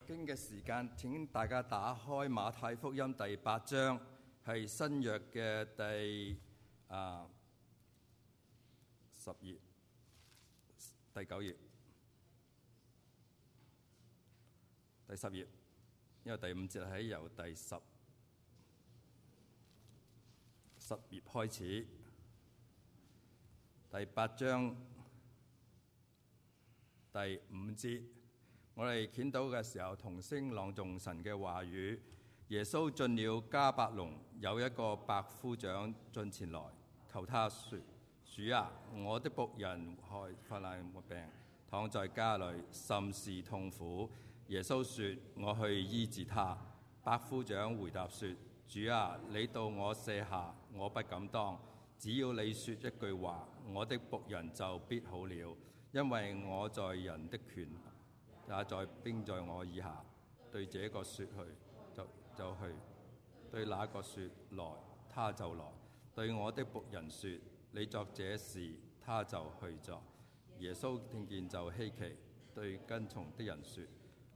經嘅時間，請大家打開馬太福音第8章，係新約嘅第10頁，第9頁，第10頁，因為第5節係由第10頁開始，第8章第5節。我哋見到嘅時候，同聲朗誦神嘅話語。耶穌進了迦百農，有一個百夫長進前來，求他說：主啊，我的僕人害患難病，躺在家裏，甚是痛苦。耶穌說：我去醫治他。百夫長回答說：主啊，你到我舍下，我不敢當。只要你說一句話，我的僕人就必好了，因為我在人的權也在兵在我以下。對這個說去，就去；對那個說來，他就來；對我的僕人說你作這事，他就去作。耶穌聽見就稀奇，對跟從的人說：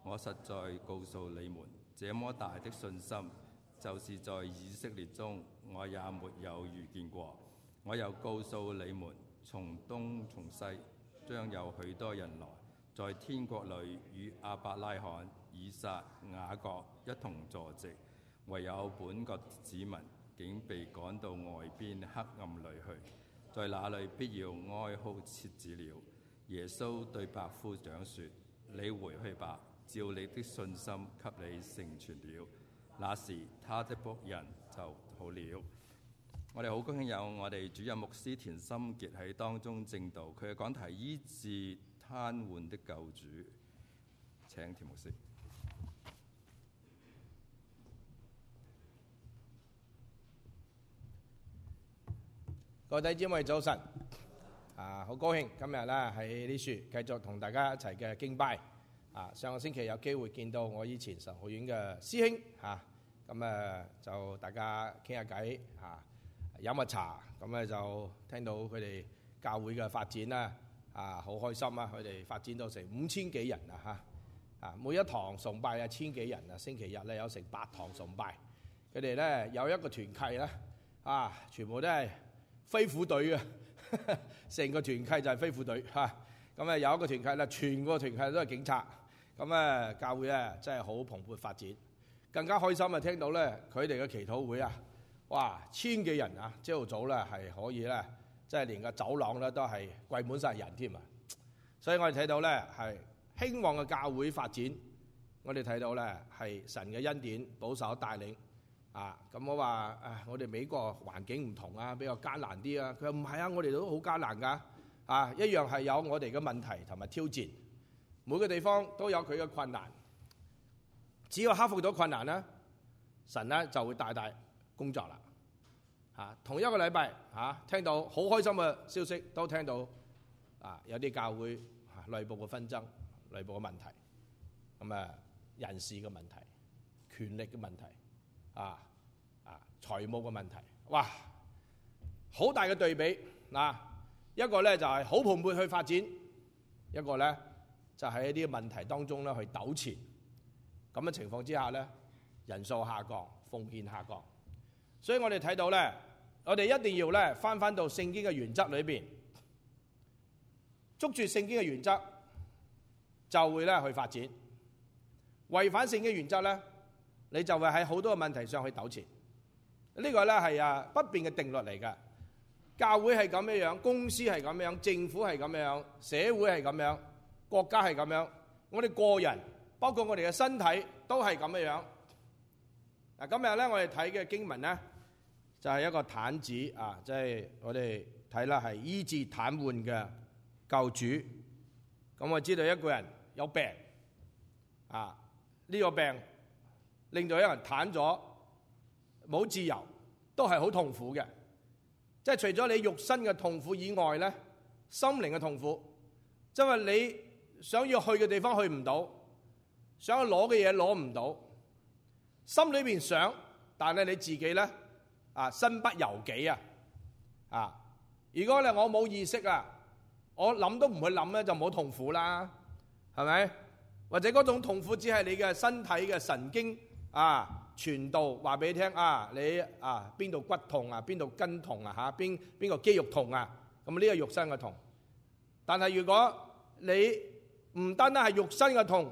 我實在告訴你們，這麼大的信心，就是在以色列中我也沒有遇見過。我又告訴你們，從東從西將有許多人來，在天國裏與亞伯拉罕、以撒、雅各一同坐席，唯有本國子民竟被趕到外邊黑暗裏去，在那裏必要哀哭切齒了。耶穌對百夫長說：你回去吧，照你的信心給你成全了。那時他的僕人就好了。我哋好高興有我哋主任牧師田心傑喺當中證道，佢嘅講題醫治癱瘓的救主。請田牧師。各位弟兄姊妹早晨，好高興今日咧喺呢處繼續同大家一齊嘅敬拜。上個星期有機會見到我以前神學院嘅師兄咁就大家傾下偈飲下茶，咁咧就聽到佢哋教會嘅發展啦，好開心啊！佢哋發展到成5000幾人每一堂崇拜1000幾人啊，星期日咧有成8堂崇拜。佢哋咧有一個團契咧全部都係飛虎隊啊，成個團契就係飛虎隊咁有一個團契咧，全個團契都係警察。咁教會咧真係好蓬勃發展，更加開心啊！聽到咧佢哋嘅祈禱會哇1000幾人朝頭早咧係可以咧，即係連個走廊咧都係跪滿晒人添啊！所以我哋睇到咧係興旺嘅教會發展，我哋睇到咧係神嘅恩典保守帶領咁我話我哋美國環境唔同比較艱難啲佢話唔係我哋都好艱難㗎一樣係有我哋嘅問題同埋挑戰，每個地方都有佢嘅困難，只要克服到困難咧，神咧就會大大工作啦。同一個禮拜聽到好開心嘅消息，都聽到有啲教會內部嘅紛爭、內部嘅問題，咁人事嘅問題、權力嘅問題財務嘅問題，哇，好大嘅對比一個咧就係好蓬勃去發展，一個咧就喺一啲問題當中咧去糾纏。咁嘅情況之下咧，人數下降，奉獻下降。所以我哋睇到咧，我哋一定要咧翻到聖經嘅原則裏邊，捉住聖經嘅原則，就會咧去發展。違反聖經原則咧，你就會喺好多嘅問題上去糾纏。呢個咧係不變嘅定律嚟㗎。教會係咁樣，公司係咁樣，政府係咁樣，社會係咁樣，國家係咁樣，我哋個人包括我哋嘅身體都係咁樣。今日咧我哋睇嘅經文咧就係一個癱子即係我哋睇啦係醫治癱瘓嘅救主。咁我知道一個人有病呢個病令到一個人癱咗，冇自由，都係好痛苦嘅。即係除咗你肉身嘅痛苦以外咧，心靈嘅痛苦，即係你想要去嘅地方去唔到，想要攞嘅嘢攞唔到，心裏邊想，但係你自己咧身不由己如果咧我冇意識我諗都唔去諗咧，就冇痛苦啦，係咪？或者嗰種痛苦只係你嘅身體嘅神經傳導話俾你聽你邊度骨痛邊度筋痛邊個肌肉痛咁呢個肉身嘅痛。但係如果你唔單單係肉身嘅痛，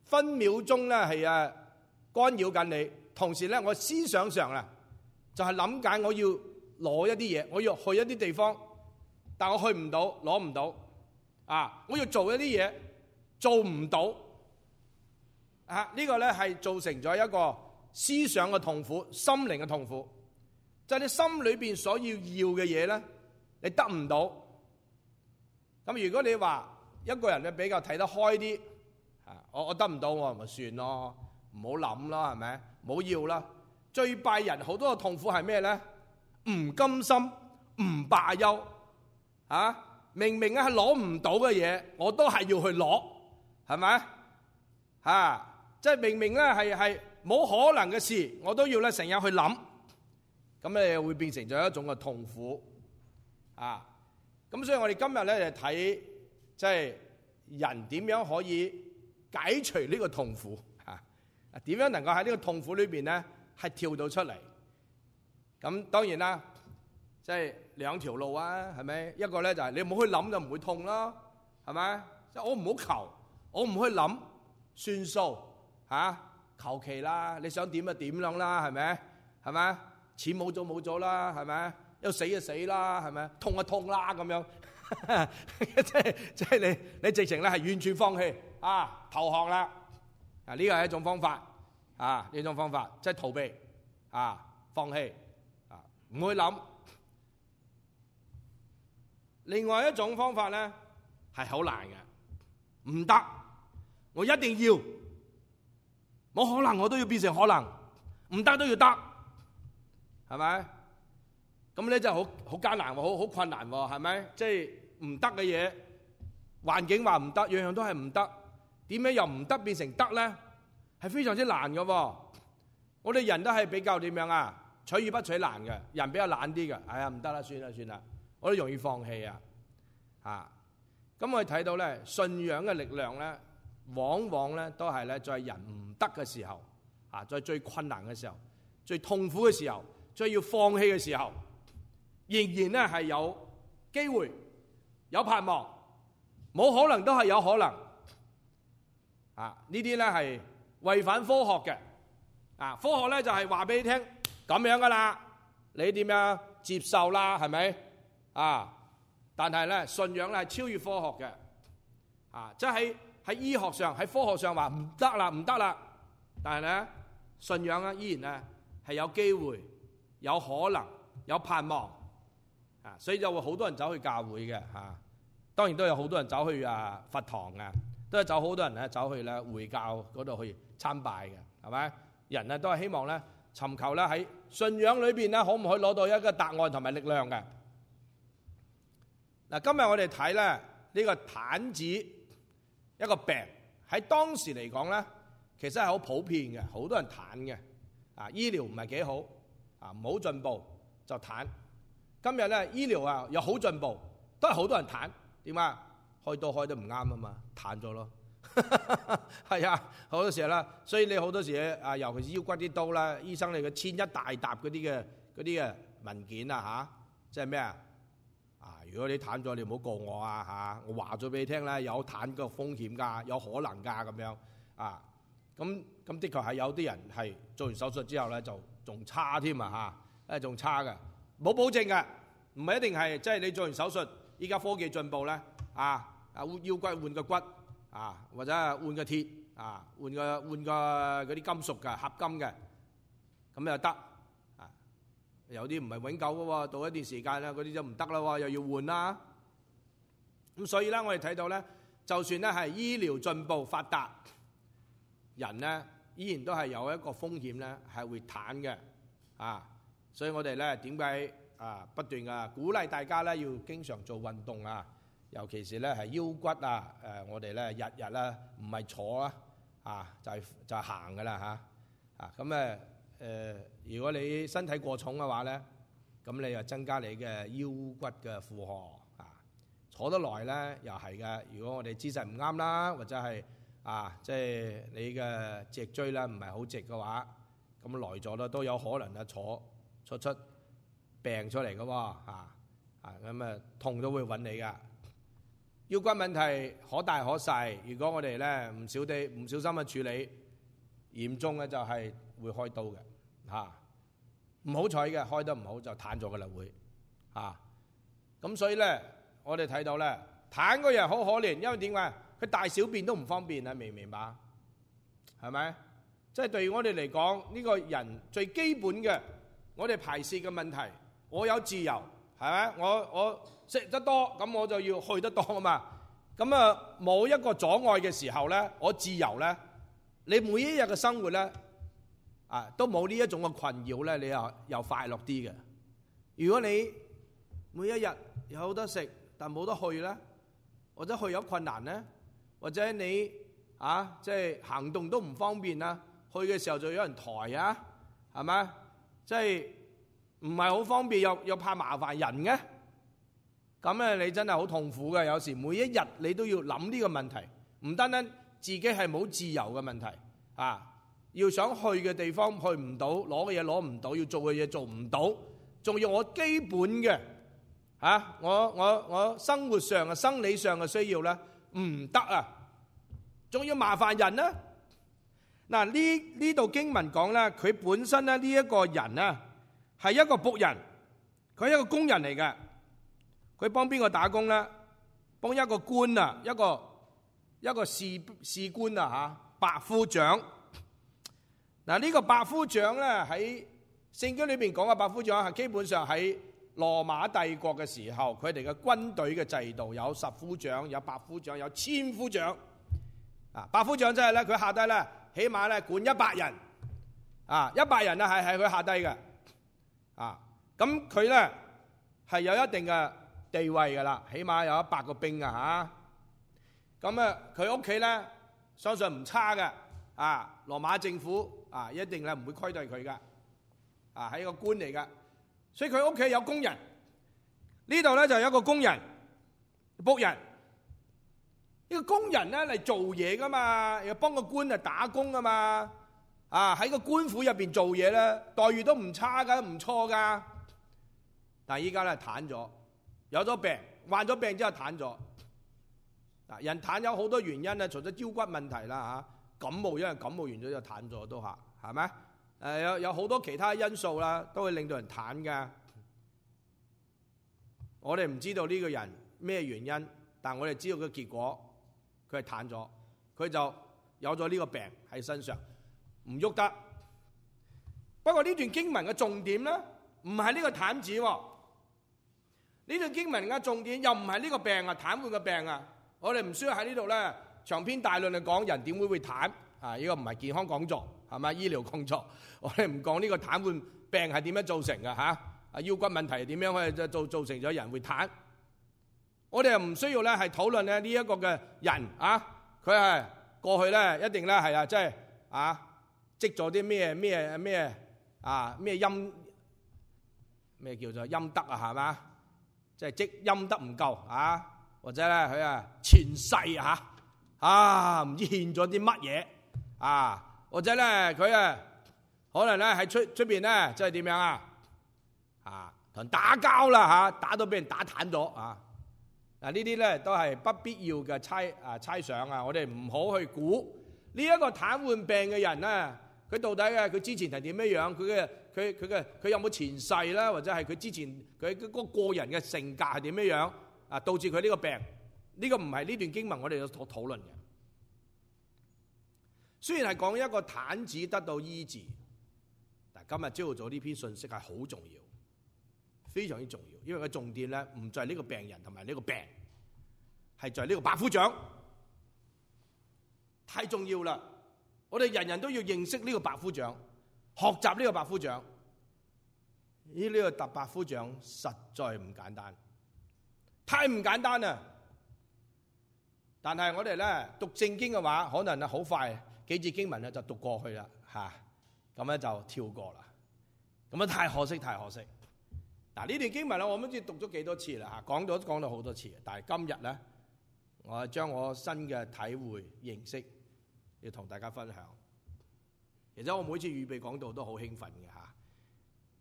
分秒鐘咧係干擾緊你，同時咧我思想上就係諗緊我要攞一啲嘢，我要去一啲地方，但我去唔到，攞唔到我要做一啲嘢，做唔到呢個咧係造成咗一個思想嘅痛苦，心靈嘅痛苦，就係你心裏邊所要嘅嘢咧，你得唔到。咁如果你話一個人咧比較睇得開啲，我得唔到我咪算咯，唔好諗啦，係咪？唔好要啦。最拜人好多嘅痛苦係咩咧？唔甘心，唔罷休明明係攞唔到嘅嘢，我都係要去攞，係咪？即係明明咧係冇可能嘅事，我都要咧成日去諗，咁你會變成咗一種嘅痛苦咁所以我哋今日咧就睇即係人點樣可以解除呢個痛苦點樣能夠喺呢個痛苦裏邊咧係跳到出嚟。咁當然啦，即係兩條路係咪？一個咧就係你唔好去諗就唔會痛啦，係咪？即係我唔好求，我唔去諗，算數求其啦，你想點就點樣啦，係咪？係咪？錢冇咗冇咗啦，係咪？要死就死啦，係咪？痛就痛啦，咁樣即係你直情咧係完全放棄投降啦呢個係一種方法呢種方法即係逃避放棄唔去諗。另外一種方法咧係好難嘅，唔得，我一定要，冇可能我都要變成可能，唔得都要得，係咪？咁咧真係好艱難喎，好困難喎，係咪？即係唔得嘅嘢，環境話唔得，樣樣都係唔得，點樣由唔得變成得咧？係非常之難嘅喎。我哋人都係比較點樣取易不取難嘅，人比較懶啲嘅。哎呀，唔得啦，算啦，我都容易放棄咁我哋睇到咧，信仰嘅力量咧，往往咧都係咧在人唔得嘅時候在最困難嘅時候、最痛苦嘅時候、最要放棄嘅時候，仍然咧係有機會、有盼望，冇可能都係有可能呢啲咧係違反科學嘅科學咧就係話俾你聽咁樣噶啦，你點樣接受啦？係咪但係咧信仰咧係超越科學嘅即係喺醫學上、喺科學上話唔得啦，但係咧信仰咧依然咧係有機會、有可能、有盼望所以就會好多人走去教會嘅當然都有好多人走去佛堂都有好多人咧走去咧會教嗰度去參拜嘅，係咪？人咧都係希望咧尋求咧喺信仰裏邊咧可唔可以攞到一個答案同埋力量嘅。今日我哋睇咧呢個癱子一個病喺當時嚟講咧，其實係好普遍嘅，好多人癱嘅醫療唔係幾好唔好進步就癱。今日咧醫療有好進步，都係好多人癱。點解？開刀開得唔啱啊嘛，癱咗咯。係好多時啦，所以你好多時尤其是腰骨啲刀啦，醫生你嘅簽一大沓嗰啲嘅文件即係咩如果你癱咗，你唔好告我我話咗俾你聽咧，有癱嘅風險㗎，有可能㗎咁樣咁的確係有啲人係做完手術之後咧就仲差添仲差嘅，冇保證嘅，唔係一定係即係你做完手術，依家科技進步咧腰骨換個骨或者換個鐵換個嗰啲金屬嘅合金嘅，咁又得有啲唔係永久嘅喎，到一段時間咧嗰啲就唔得啦喎，又要換啦。咁所以咧我哋睇到咧，就算咧係醫療進步發達，人咧依然都係有一個風險咧係會癱嘅所以我哋咧點解不斷鼓勵大家咧要經常做運動尤其是咧係腰骨我哋咧日日咧唔係坐就係行噶啦咁如果你身體過重嘅話咧，咁你又增加你嘅腰骨嘅負荷坐得耐咧又係嘅。如果我哋姿勢唔啱啦，或者係即係你嘅脊椎咧唔係好直嘅話，咁來咗咧都有可能坐出病出嚟嘅喎，咁痛都會揾你噶。腰骨問題可大可細，如果我哋咧唔小心去處理，嚴重嘅就係會開刀嘅，唔好彩嘅開得唔好就癱咗嘅啦會，咁所以咧我哋睇到咧癱嘅人好可憐，因為點解？佢大小便都唔方便啊，明唔明白？係咪？即係對於我哋嚟講，呢個人最基本嘅，我哋排泄嘅問題，我有自由，係咪？我食得多，咁我就要去得多啊嘛。咁冇一個阻礙嘅時候咧，我自由咧，你每一日嘅生活咧，都冇呢一種嘅困擾咧，你又快樂啲嘅。如果你每一日有得食，但冇得去咧，或者去有困難咧，或者你即係行動都唔方便啦，去嘅時候就有人抬啊，係咪？即係唔係好方便，又怕麻煩人嘅，咁咧你真係好痛苦嘅。有時每一日你都要諗呢個問題，唔單單自己係冇自由嘅問題，要想去嘅地方去唔到，攞嘅嘢攞唔到，要做嘅嘢做唔到，仲要我基本嘅我生活上嘅生理上嘅需要咧唔得啊，仲要麻煩人啦。嗱，呢度經文講咧，佢本身咧呢一個人咧係一個僕人，佢係一個工人嚟嘅。佢幫邊個打工咧？幫一個官啊，一個士官啊，百夫長。嗱，呢個百夫長咧喺聖經裏邊講嘅百夫長係基本上喺羅馬帝國嘅時候，佢哋嘅軍隊嘅制度有十夫長、有百夫長、有千夫長。百夫長即係咧，佢下低咧起碼咧管100人，100人啊係佢下低嘅。咁佢咧係有一定嘅地位噶啦，起碼有100個兵啊嚇。咁佢屋企咧相信唔差嘅。羅馬政府一定咧唔會虧待佢嘅。係一個官嚟嘅，所以佢屋企有工人。呢度咧就有一個工人僕人。呢個工人咧嚟做嘢噶嘛，又幫個官打工噶嘛。喺個官府入邊做嘢咧，待遇都唔差噶，唔錯噶。但係依家咧癱咗，有咗病，患咗病之後癱咗。人癱有好多原因咧，除咗腰骨問題啦感冒，因為感冒完咗就癱咗都係咪？有好多其他因素啦，都會令到人癱㗎。我哋唔知道呢個人咩原因，但我哋知道個結果，佢係癱咗，佢就有咗呢個病喺身上，唔喐得。不過呢段經文嘅重點咧，唔係呢個癱子喎。呢段經文嘅重點又唔係呢個病啊，癱瘓嘅病啊。我哋唔需要喺呢度咧長篇大論嚟講人點會癱啊？呢個唔係健康講座，係咪醫療工作？我哋唔講呢個癱瘓病係點樣造成嘅腰骨問題點樣可以造成咗人會癱？我哋又唔需要咧係討論咧呢一個嘅人佢係過去咧一定咧係即係積咗啲咩咩叫做陰德係嘛？即係積陰德唔夠或者咧佢前世唔知獻咗啲乜嘢或者咧佢可能咧喺出邊咧即係點樣同人打交啦打到俾人打癱咗呢啲咧都係不必要嘅猜想我哋唔好去估呢一個癱瘓病嘅人咧，佢到底佢之前係點樣樣？佢有冇前世啦？或者係佢之前佢嗰個人嘅性格係點樣樣導致佢呢個病？呢個唔係呢段經文我哋所討論嘅。雖然係講一個癱子得到醫治，但今日朝頭早呢篇信息係好重要，非常之重要，因為個重點咧唔在呢個病人同埋呢個病，係在呢個百夫長，太重要啦！我哋人人都要認識呢個百夫長，學習呢個百夫長。呢個百夫長實在唔簡單，太唔簡單啦！但係我哋咧讀聖經嘅話，可能好快幾節經文咧就讀過去啦，咁咧就跳過啦。咁太可惜，太可惜。嗱，呢段經文咧，我唔知讀咗幾多次啦，講到好多次。但係今日咧，我將我新嘅體會認識要同大家分享。其實我每次預備講道都好興奮嘅嚇，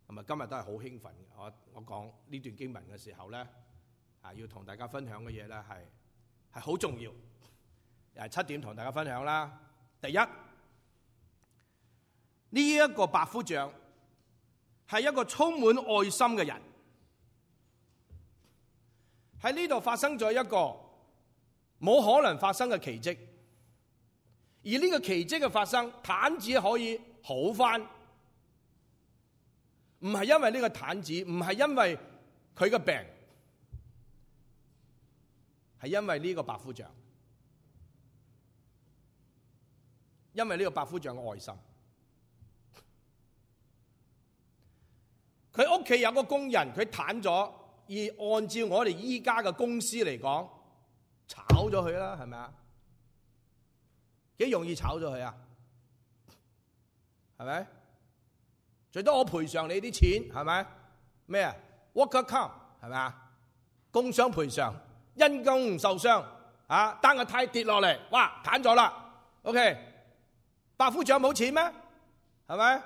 咁啊今日都係好興奮嘅。我講呢段經文嘅時候咧，要同大家分享嘅嘢咧係好重要。又係7點同大家分享啦。第一，呢一個百夫長係一個充滿愛心嘅人。喺呢度發生咗一個冇可能發生嘅奇蹟，而呢個奇蹟嘅發生，癱子可以好返，唔係因為呢個癱子，唔係因為佢嘅病，係因為呢個百夫長。因為呢個百夫長嘅愛心，佢屋企有個工人，佢癱咗，而按照我哋依家嘅公司嚟講，炒咗佢啦，係咪啊？幾容易炒咗佢啊？係咪？最多我賠償你啲錢，係咪？咩啊 ？Worker comp 係咪啊？工傷賠償，因公受傷啊！單個胎跌落嚟，哇，癱咗啦。OK。百夫長冇錢咩？係咪？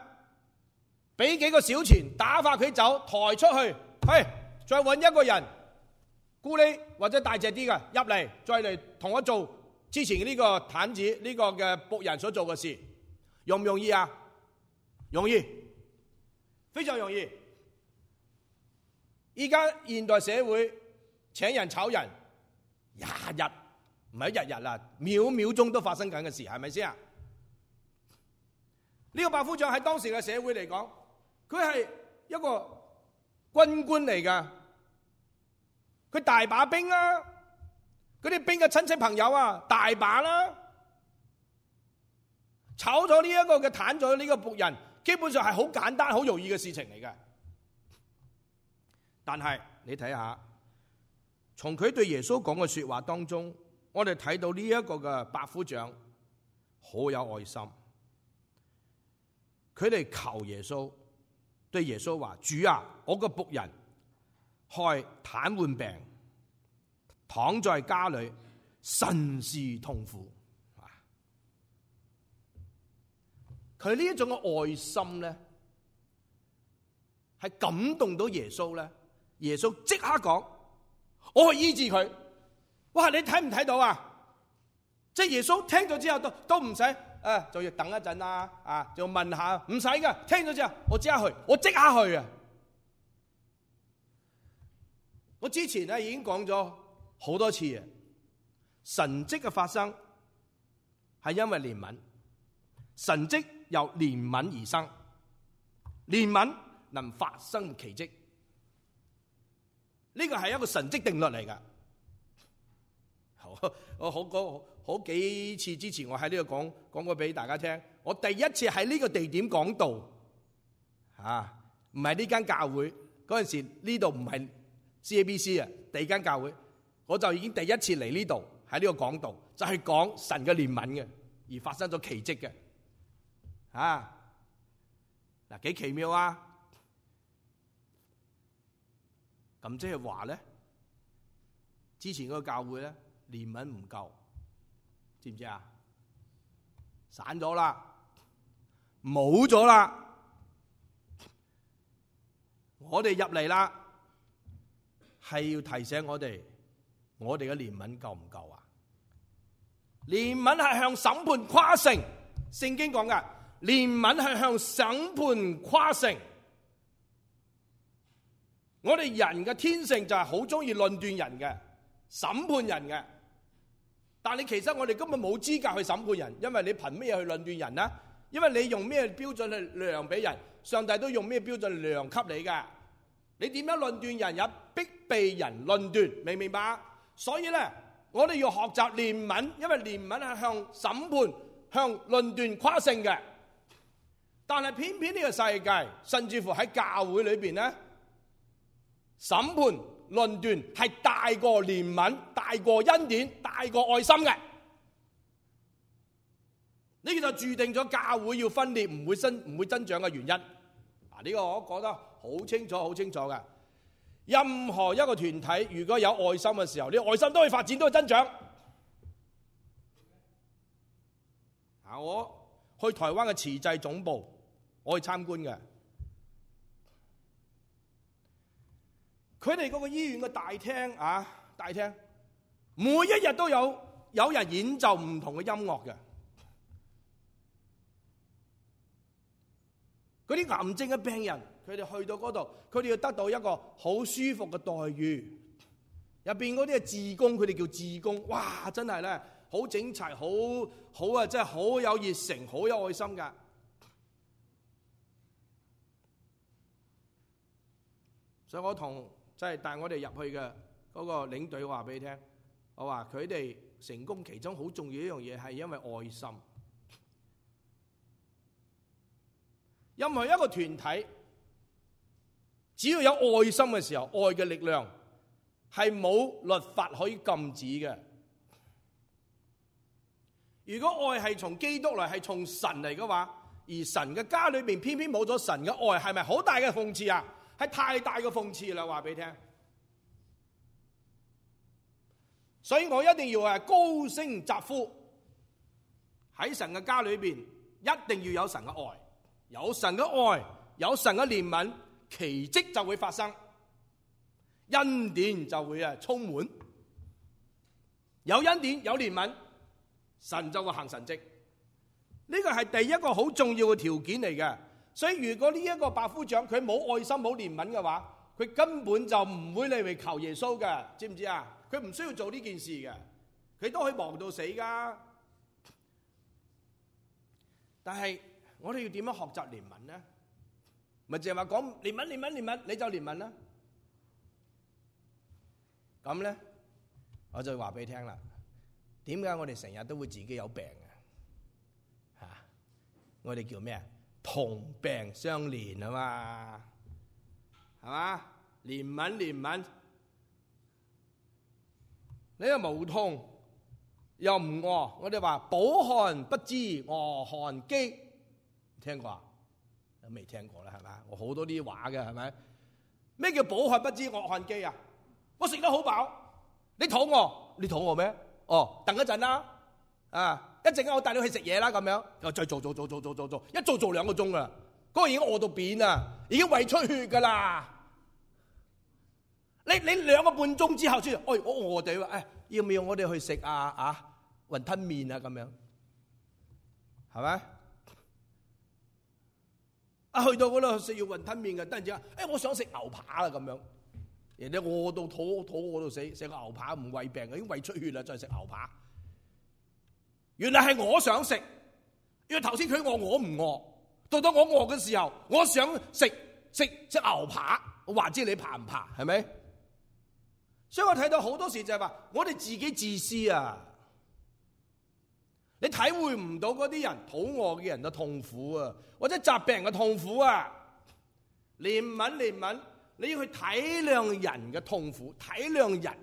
俾幾個小錢打發佢走，抬出去，再揾一個人，咕喱或者大隻啲嘅入嚟，再嚟同我做之前呢個癱子呢個嘅僕人所做嘅事，容唔容易啊？容易，非常容易。依家現代社會請人炒人，日日唔係日日啦，秒秒鐘都發生緊嘅事，係咪先啊？呢個百夫長喺當時嘅社會嚟講，佢係一個軍官嚟㗎，佢大把兵啦，嗰啲兵嘅親戚朋友啊，大把啦。炒咗呢一個嘅癱咗呢個僕人，基本上係好簡單、好容易嘅事情嚟嘅。但係你睇下，從佢對耶穌講嘅說話當中，我哋睇到呢一個嘅百夫長好有愛心。佢哋求耶穌，對耶穌話：主啊，我個僕人害癱瘓病，躺在家裏，甚是痛苦。佢呢一種嘅愛心咧，係感動到耶穌咧。耶穌即刻講：我去醫治佢。哇！你睇唔睇到啊？即係耶穌聽咗之後都唔使。就要等一陣啦，就問下，唔使噶，聽咗之後，我即刻去，我即刻去啊！我之前咧已經講咗好多次啊，神蹟嘅發生係因為憐憫，神蹟由憐憫而生，憐憫能發生奇蹟，呢個係一個神蹟定律嚟噶。好幾次之前我喺呢度講過俾大家聽，我第一次喺呢個地點講道，唔係呢間教會嗰陣時，呢度唔係 CABC 啊，第二間教會，我就已經第一次嚟呢度喺呢個講道，就係講神嘅憐憫嘅，而發生咗奇蹟嘅，嗱幾奇妙啊！咁即係話咧，之前嗰個教會咧憐憫唔夠。知唔知啊？散咗啦，冇咗啦。我哋入嚟啦，係要提醒我哋嘅憐憫夠唔夠啊？憐憫係向審判誇勝，聖經講㗎，憐憫係向審判誇勝。我哋人嘅天性就係好中意論斷人嘅，審判人嘅。但係其實我哋根本冇資格去審判人，因為你憑咩去論斷人呢？因為你用咩標準去量俾人，上帝都用咩標準量給你㗎。你點樣論斷人，也必被人論斷，明唔明白？所以咧，我哋要學習憐憫，因為憐憫係向審判、向論斷誇勝嘅。但係偏偏呢個世界，甚至乎喺教會裏邊咧，審判論斷係大過憐憫、大過恩典、大過愛心嘅，呢個就注定咗教會要分裂，唔會增長嘅原因。呢個我講得好清楚、好清楚嘅。任何一個團體如果有愛心嘅時候，呢個愛心都會發展，都會增長。我去台灣嘅慈濟總部，我去參觀嘅。佢哋嗰個醫院嘅大廳每一日都有人演奏唔同嘅音樂嘅。嗰啲癌症嘅病人，佢哋去到嗰度，佢哋要得到一個好舒服嘅待遇。入邊嗰啲係志工，佢哋叫志工，哇！真係咧好整齊，好啊，真係好有熱誠，好有愛心噶。所以我帶我哋入去嘅嗰個領隊話俾你聽，我話佢哋成功其中好重要一樣嘢係因為愛心。任何一個團體，只要有愛心嘅時候，愛嘅力量係冇律法可以禁止嘅。如果愛係從基督嚟，係從神嚟嘅話，而神嘅家裏面偏偏冇咗神嘅愛，係咪好大嘅諷刺啊？係太大嘅諷刺啦！話俾你聽，所以我一定要高聲疾呼，喺神嘅家裏邊一定要有神嘅愛，有神嘅愛，有神嘅憐憫，奇蹟就會發生，恩典就會充滿，有恩典有憐憫，神就會行神蹟。呢個係第一個好重要嘅條件嚟嘅。所以如果呢一個百夫長佢冇愛心冇憐憫嘅話，佢根本就唔會嚟求耶穌嘅，知唔知啊？佢唔需要做呢件事嘅，佢都可以忙到死噶。但係我哋要點樣學習憐憫呢？咪淨係話講憐憫，你就憐憫啦。咁咧，我就話俾你聽啦。點解我哋成日都會自己有病嘅？嚇，我哋叫咩啊？同病相憐啊嘛，係嘛？憐憫，你又無痛又唔餓，我哋話飽寒不知餓寒飢，聽過啊？都未聽過啦，係咪？我好多啲話嘅，係咪？咩叫飽寒不知餓寒飢啊？我食得好飽，你肚餓咩？哦，等一陣啦，一陣間我帶你去食嘢啦，咁樣又再做，一做2個鐘啦，嗰個已經餓到扁啦，已經胃出血噶啦。你2個半鐘之後先，我餓地話，要唔要我哋去食雲吞麵啊？咁樣係咪？去到嗰度食完雲吞麵嘅，突然之間，我想食牛扒啦咁樣。人哋餓到肚餓到死，食個牛扒唔胃病，已經胃出血啦，再食牛扒。原來係我想食，因為頭先佢餓我唔餓，到我餓嘅時候，我想食牛扒，我話知你怕唔怕？係咪？所以我睇到好多時就係話，我哋自己自私啊！你體會唔到嗰啲人肚餓嘅人嘅痛苦啊，或者疾病嘅痛苦啊。憐憫，你要去體諒人嘅痛苦，體諒人。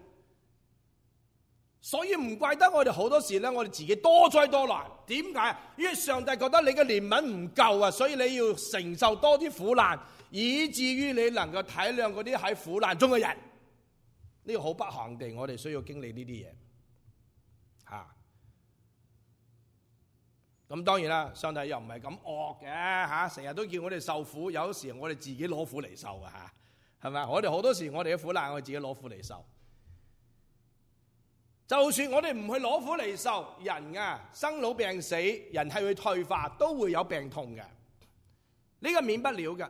所以唔怪得我哋好多時咧，我哋自己多災多難。點解？因為上帝覺得你嘅憐憫唔夠啊，所以你要承受多啲苦難，以至於你能夠體諒嗰啲喺苦難中嘅人。呢個好不幸地，我哋需要經歷呢啲嘢。咁當然啦，上帝又唔係咁惡嘅，成日都叫我哋受苦，有時我哋自己攞苦嚟受嘅，係咪？我哋好多時我哋嘅苦難，我哋自己攞苦嚟受。就算我哋唔去攞苦嚟受，人生老病死，人係會退化，都會有病痛嘅，呢個免不了嘅。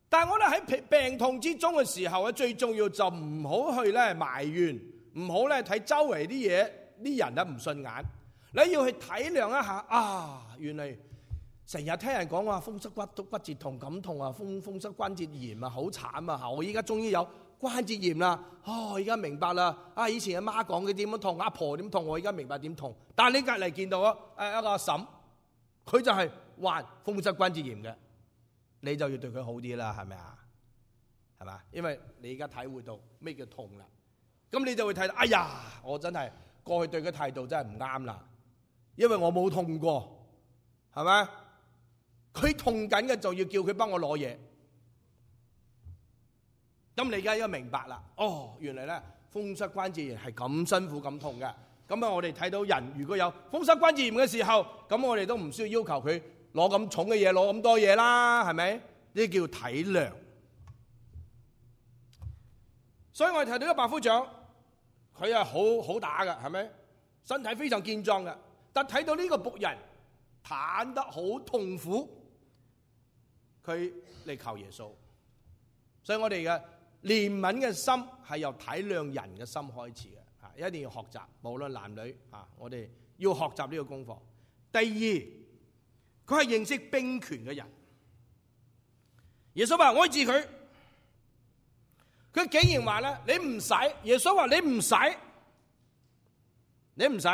但係我哋喺病痛之中嘅時候，最重要就唔好去埋怨，唔好睇周圍啲嘢，啲人唔順眼。你要去體諒一下原嚟成日聽人講話風濕骨節痛咁痛啊，風濕關節炎啊，好慘啊！我依家終於有關節炎啦，而家明白啦。以前阿媽講嘅點樣痛，阿婆點痛，我而家明白點痛。但係你隔離見到一個阿嬸，佢就係患風濕關節炎嘅，你就要對佢好啲啦，係咪啊？係嘛？因為你而家體會到咩叫痛啦，咁你就會睇到，哎呀，我真係過去對佢態度真係唔啱啦。因為我冇痛過，係咪？佢痛緊嘅就要叫佢幫我攞嘢。咁你而家應該明白啦。原來咧風濕關節炎係咁辛苦咁痛嘅。咁啊，我哋睇到人如果有風濕關節炎嘅時候，咁我哋都唔需要要求佢攞咁重嘅嘢，攞咁多嘢啦，係咪？呢啲叫體諒。所以我哋睇到呢個百夫長，佢係好打嘅，係咪？身體非常健壯嘅，但睇到呢個僕人癱得好痛苦，佢嚟求耶穌。所以我哋嘅憐憫嘅心係由體諒人嘅心開始嘅。一定要學習，無論男女啊，我哋要學習呢個功課。第二，佢係認識兵權嘅人。耶穌話我治佢，佢竟然話咧，你唔使。耶穌話你唔使，你唔使。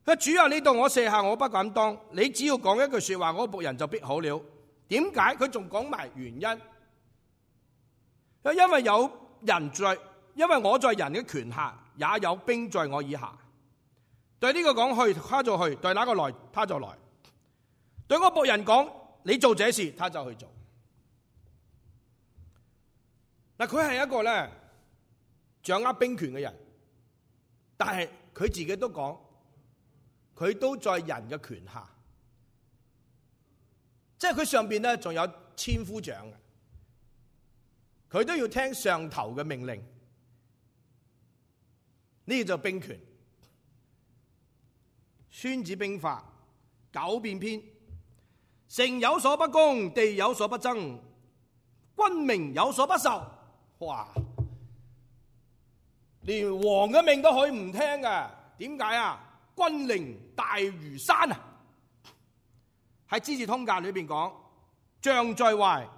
佢主啊，你對我卸下，我不敢當。你只要講一句說話，我僕人就必好了。點解？佢仲講埋原因。因為有人在。因為我在人嘅權下，也有兵在我以下。對呢個講去，他就去；對那個來，他就來。對我僕人講，你做這事，他就去做。嗱，佢係一個咧掌握兵權嘅人，但係佢自己都講，佢都在人嘅權下，即係佢上邊咧仲有千夫長嘅，佢都要聽上頭嘅命令。呢個就兵權。孫子兵法九變篇，城有所不攻，地有所不爭，君命有所不受。哇！連王嘅命都可以唔聽㗎，點解啊？君令大如山啊！喺《資治通鑑》裏邊講，將在外，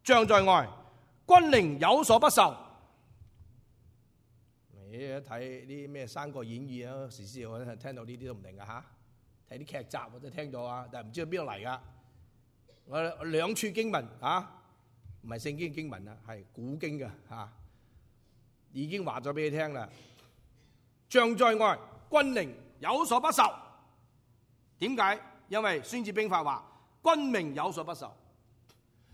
將在外，君令有所不受。你睇啲咩《三國演義》啊，時時我聽到呢啲都唔定噶嚇。睇啲劇集我都聽到啊，但係唔知道邊度嚟噶。我兩處經文啊，唔係聖經經文啊，係古經嘅嚇，已經話咗俾你聽啦。將在外，君令有所不受。點解？因為《孫子兵法》話君命有所不受。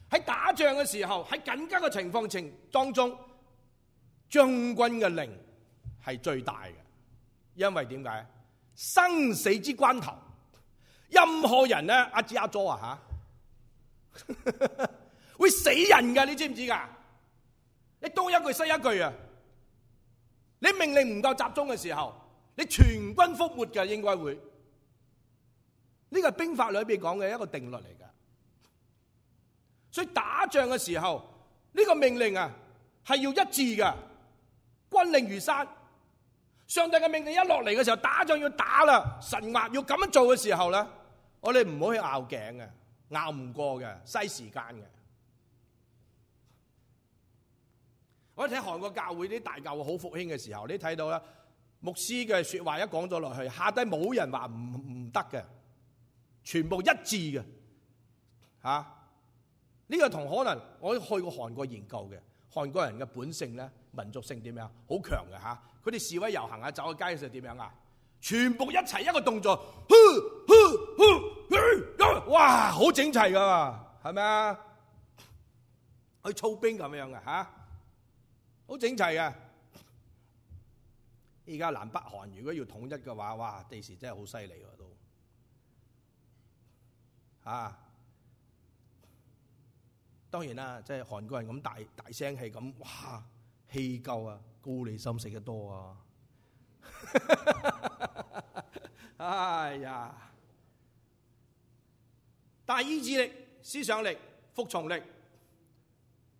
喺打仗嘅時候，喺緊急嘅情況當中，將軍嘅令係最大嘅，因為點解？生死之關頭，任何人咧，阿支阿佐啊吓，會死人噶，你知唔知噶？你多一句失一句啊！你命令唔夠集中嘅時候，你全軍覆沒嘅，應該會。呢個係兵法裏邊講嘅一個定律嚟噶。所以打仗嘅時候，呢個命令啊係要一致嘅，軍令如山。上帝嘅命令一落嚟嘅時候，打仗要打啦，神話要咁樣做嘅時候咧，我哋唔好去拗頸嘅，拗唔過嘅，嘥時間嘅。我哋睇韓國教會啲大教會好復興嘅時候，你睇到啦，牧師嘅說話一講咗落去，下低冇人話唔得嘅，全部一致嘅，吓。呢個同可能我去過韓國研究嘅，韓國人嘅本性咧，民族性點樣？好強嘅吓，佢哋示威遊行啊，走喺街嘅時候點樣啊？全部一齊一個動作，哇，好整齊噶，係咪啊？去操兵咁樣嘅吓，好整齊嘅。而家南北韓如果要統一嘅話，哇，第時真係好犀利喎都，啊！當然啦，即係韓國人咁大聲氣咁，哇，氣夠啊，高麗參食得多啊！哎呀，大意志力、思想力、服從力，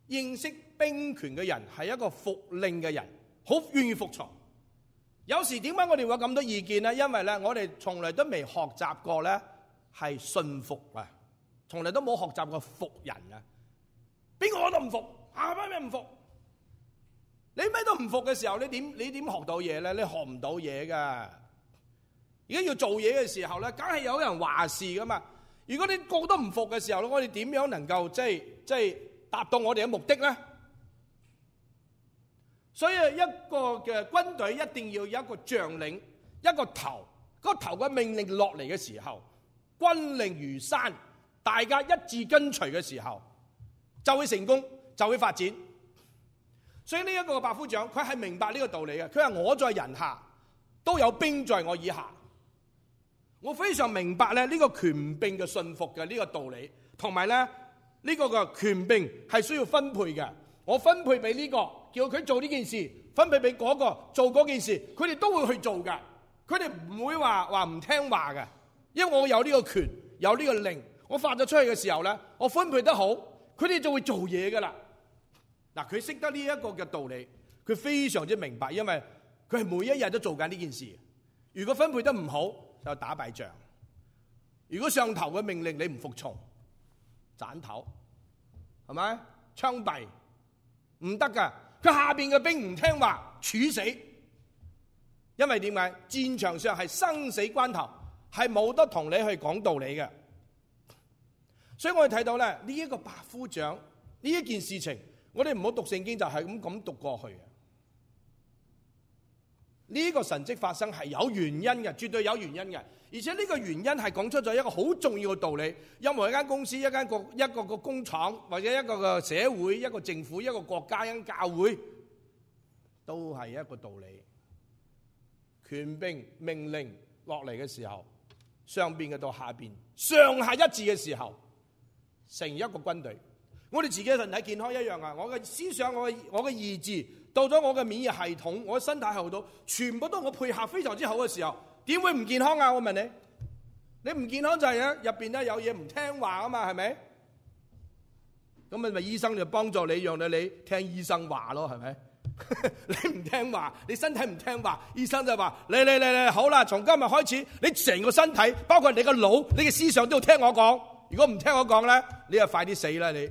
認識兵權嘅人係一個服令嘅人，好願意服從。有時點解我哋會有咁多意見呢？因為咧，我哋從來都未學習過咧，係信服啊，從來都冇學習過服人啊。邊個我都唔服，咩唔服？你咩都唔服嘅時候，你點學到嘢咧？你學唔到嘢噶。而家要做嘢嘅時候咧，梗係有人話事噶嘛。如果你個個都唔服嘅時候，我哋點樣能夠即係達到我哋嘅目的咧？所以一個嘅軍隊一定要有一個將領，一個頭，個頭嘅命令落嚟嘅時候，軍令如山，大家一致跟隨嘅時候，就會成功，就會發展。所以呢一個百夫長，佢係明白呢個道理嘅。佢話我在人下，都有兵在我以下。我非常明白咧呢個權柄嘅信服嘅呢個道理，同埋咧呢個嘅權柄係需要分配嘅。我分配俾呢個，叫佢做呢件事，分配俾嗰個做嗰件事，佢哋都會去做嘅。佢哋唔會話唔聽話嘅，因為我有呢個權，有呢個令，我發咗出去嘅時候咧，我分配得好，佢哋就會做嘢噶啦。嗱，佢識得呢一個嘅道理，佢非常之明白，因為佢係每一日都做緊呢件事。如果分配得唔好，就打敗仗。如果上頭嘅命令你唔服從，斬頭，係咪？槍斃，唔得噶。佢下邊嘅兵唔聽話，處死。因為點解？戰場上係生死關頭，係冇得同你去講道理嘅。所以我哋睇到咧呢一個百夫長呢一件事情，我哋唔好讀聖經就係咁讀過去嘅。呢個神蹟發生係有原因嘅，絕對有原因嘅。而且呢個原因係講出咗一個好重要嘅道理。任何一間公司、一個工廠，或者一個嘅社會、一個政府、一個國家、一間教會，都係一個道理。權柄命令落嚟嘅時候，上邊嘅到下邊，上下一致嘅時候，成一個軍隊。我哋自己嘅身體健康一樣啊！我嘅思想、我嘅意志，到咗我嘅免疫系統、我嘅身體後度，全部都我配合非常之好嘅時候，點會唔健康啊？我問你，你唔健康就係入邊咧有嘢唔聽話啊嘛，係咪？咁咪醫生就幫助你，讓你聽醫生話咯，係咪？你唔聽話，你身體唔聽話，醫生就話你好啦，從今日開始，你成個身體，包括你個腦、你嘅思想都要聽我講。如果唔聽我講咧，你就快啲死啦！你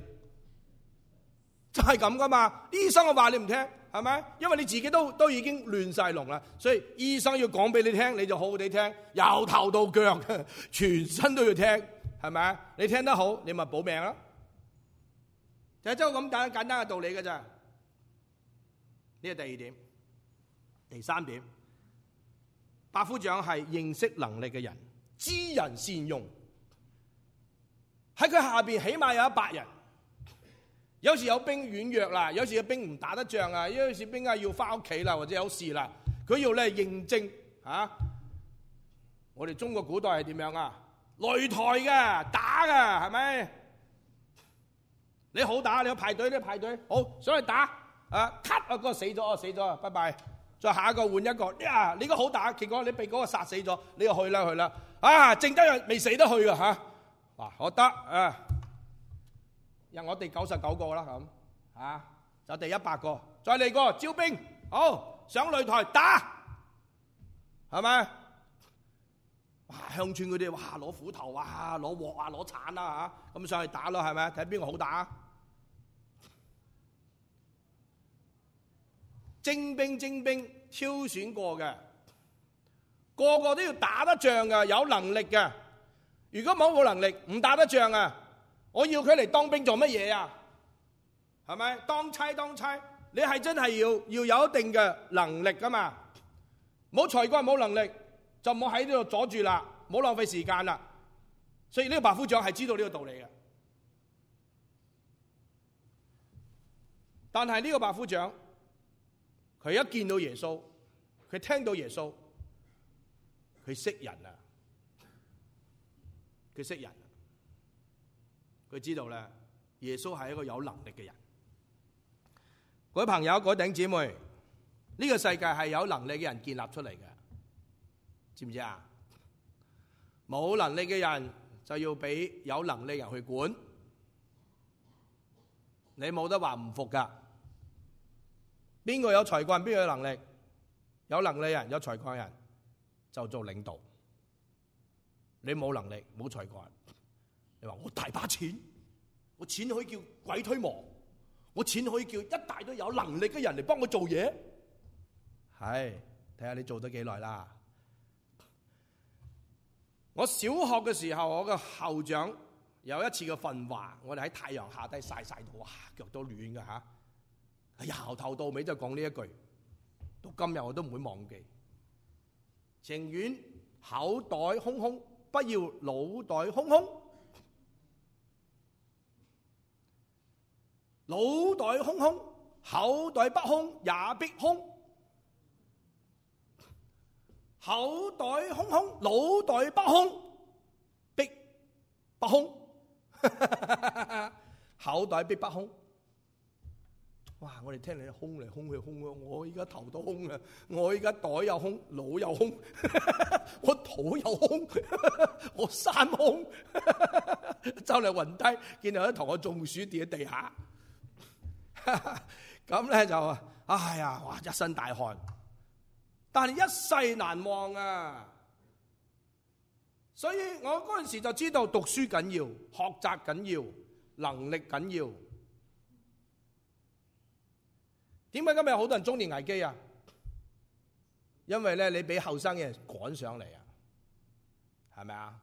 就係咁噶嘛？醫生嘅話你唔聽，係咪？因為你自己都已經亂晒龍啦，所以醫生要講俾你聽，你就好好地聽，由頭到腳，全身都要聽，係咪？你聽得好，你咪保命啦。就係就咁簡單嘅道理㗎咋。呢個第二點，第三點，百夫長係認識能力嘅人，知人善用。喺佢下邊起碼有100人，有時有兵軟弱啦，有時有兵唔打得仗啊，有時兵要翻屋企啦，或者有事啦，佢要咧認證啊。我哋中國古代係點樣啊？擂台嘅，打嘅，係咪？你好打，你去排隊，好上去打。cut 啊，嗰個死咗，拜拜。再下一個換一個，呀，你個好打，結果你被嗰個殺死咗，你又去啦。剩得人未死得去噶吓，哇，我得啊，我哋99個啦咁，就第100個，再嚟個招兵，好上擂台打，係咪？哇，鄉村嗰啲哇攞斧頭啊，攞鑊啊，攞鏟啊吓，咁上去打咯，係咪？睇邊個好打。精兵挑選過嘅，個個都要打得仗嘅，有能力嘅。如果冇能力，唔打得仗啊！我要佢嚟當兵做乜嘢啊？係咪？當差，你係真係要有一定嘅能力噶嘛？冇才幹冇能力，就唔好喺呢度阻住啦，唔好浪費時間啦。所以呢個百夫長係知道呢個道理嘅。但係呢個百夫長，佢一見到耶穌，佢聽到耶穌，佢識人啊！佢識人，佢知道咧，耶穌係一個有能力嘅人。各位朋友，各位弟兄姊妹，呢個世界係有能力嘅人建立出嚟嘅，知唔知啊？冇能力嘅人就要俾有能力嘅人去管，你冇得話唔服噶。邊個有才幹，邊個有能力？有能力人，有才幹人就做領導。你冇能力，冇才幹，你話我大把錢，我錢可以叫鬼推磨，我錢可以叫一大堆有能力嘅人嚟幫我做嘢。係，睇下你做得幾耐啦。我小學嘅時候，我嘅校長有一次嘅訓話，我哋喺太陽下低曬到，哇，腳都暖㗎吓。由頭到尾就講呢一句，到今日我都唔會忘記。情願口袋空空，不要腦袋空空。腦袋空空，口袋不空也必空。口袋空空，腦袋不空，逼不空，口袋逼不空。哇！我哋聽你空嚟空去空啊！我而家頭都空啊！我而家袋又空，腦又空，我肚又空，我三空，就嚟暈低，見到一同我中暑跌喺地下。咁咧就哎呀，哇！一身大汗，但係一世難忘啊！所以我嗰陣時就知道讀書緊要，學習緊要，能力緊要。點解今日好多人中年危機啊？因為咧你俾後生嘅人趕上嚟啊，係咪啊？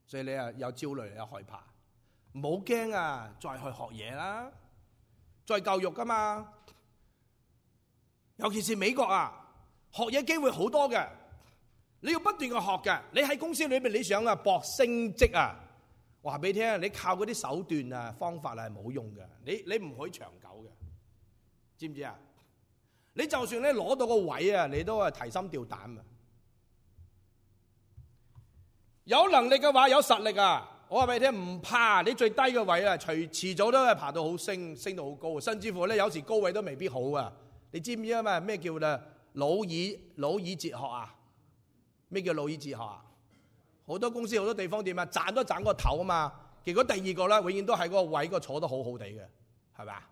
所以你啊有焦慮，有害怕，唔好驚啊！再去學嘢啦，再教育噶嘛。尤其是美國啊，學嘢機會好多嘅，你要不斷去學嘅。你喺公司裏邊你想啊搏升職啊，話俾你聽，你靠嗰啲手段啊方法係冇用嘅，你唔可以長久嘅。知唔知啊？你就算咧攞到個位啊，你都係提心吊膽啊！有能力嘅話，有實力啊！我話俾你聽，唔怕你最低嘅位啊，遲早都係爬到好升到好高，甚至乎咧有時高位都未必好啊！你知唔知啊？嘛咩叫咧老二哲學啊？咩叫老二哲學啊？好多公司好多地方點啊？賺都賺個頭啊嘛，結果第二個咧永遠都喺嗰個位個坐得好好地嘅，係咪啊？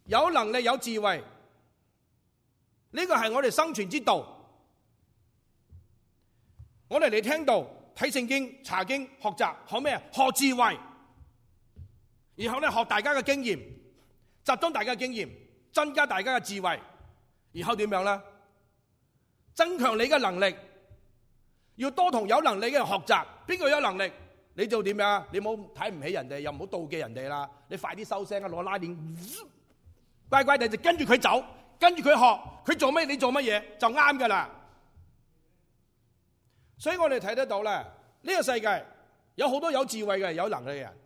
有能力有智慧，呢個係我哋生存之道。我哋嚟聽道、睇聖經、查經、學習，學咩啊？學智慧，然後咧學大家嘅經驗，集中大家嘅經驗，增加大家嘅智慧，然後點樣咧？增強你嘅能力，要多同有能力嘅人學習。邊個有能力，你就點樣？你唔好睇唔起人哋，又唔好妒忌人哋啦。你快啲收聲啊！攞拉鏈。乖乖地就跟住佢走，跟住佢學，佢做咩你做乜嘢就啱噶啦。所以我哋睇得到咧，呢個世界有好多有智慧嘅、有能力嘅人，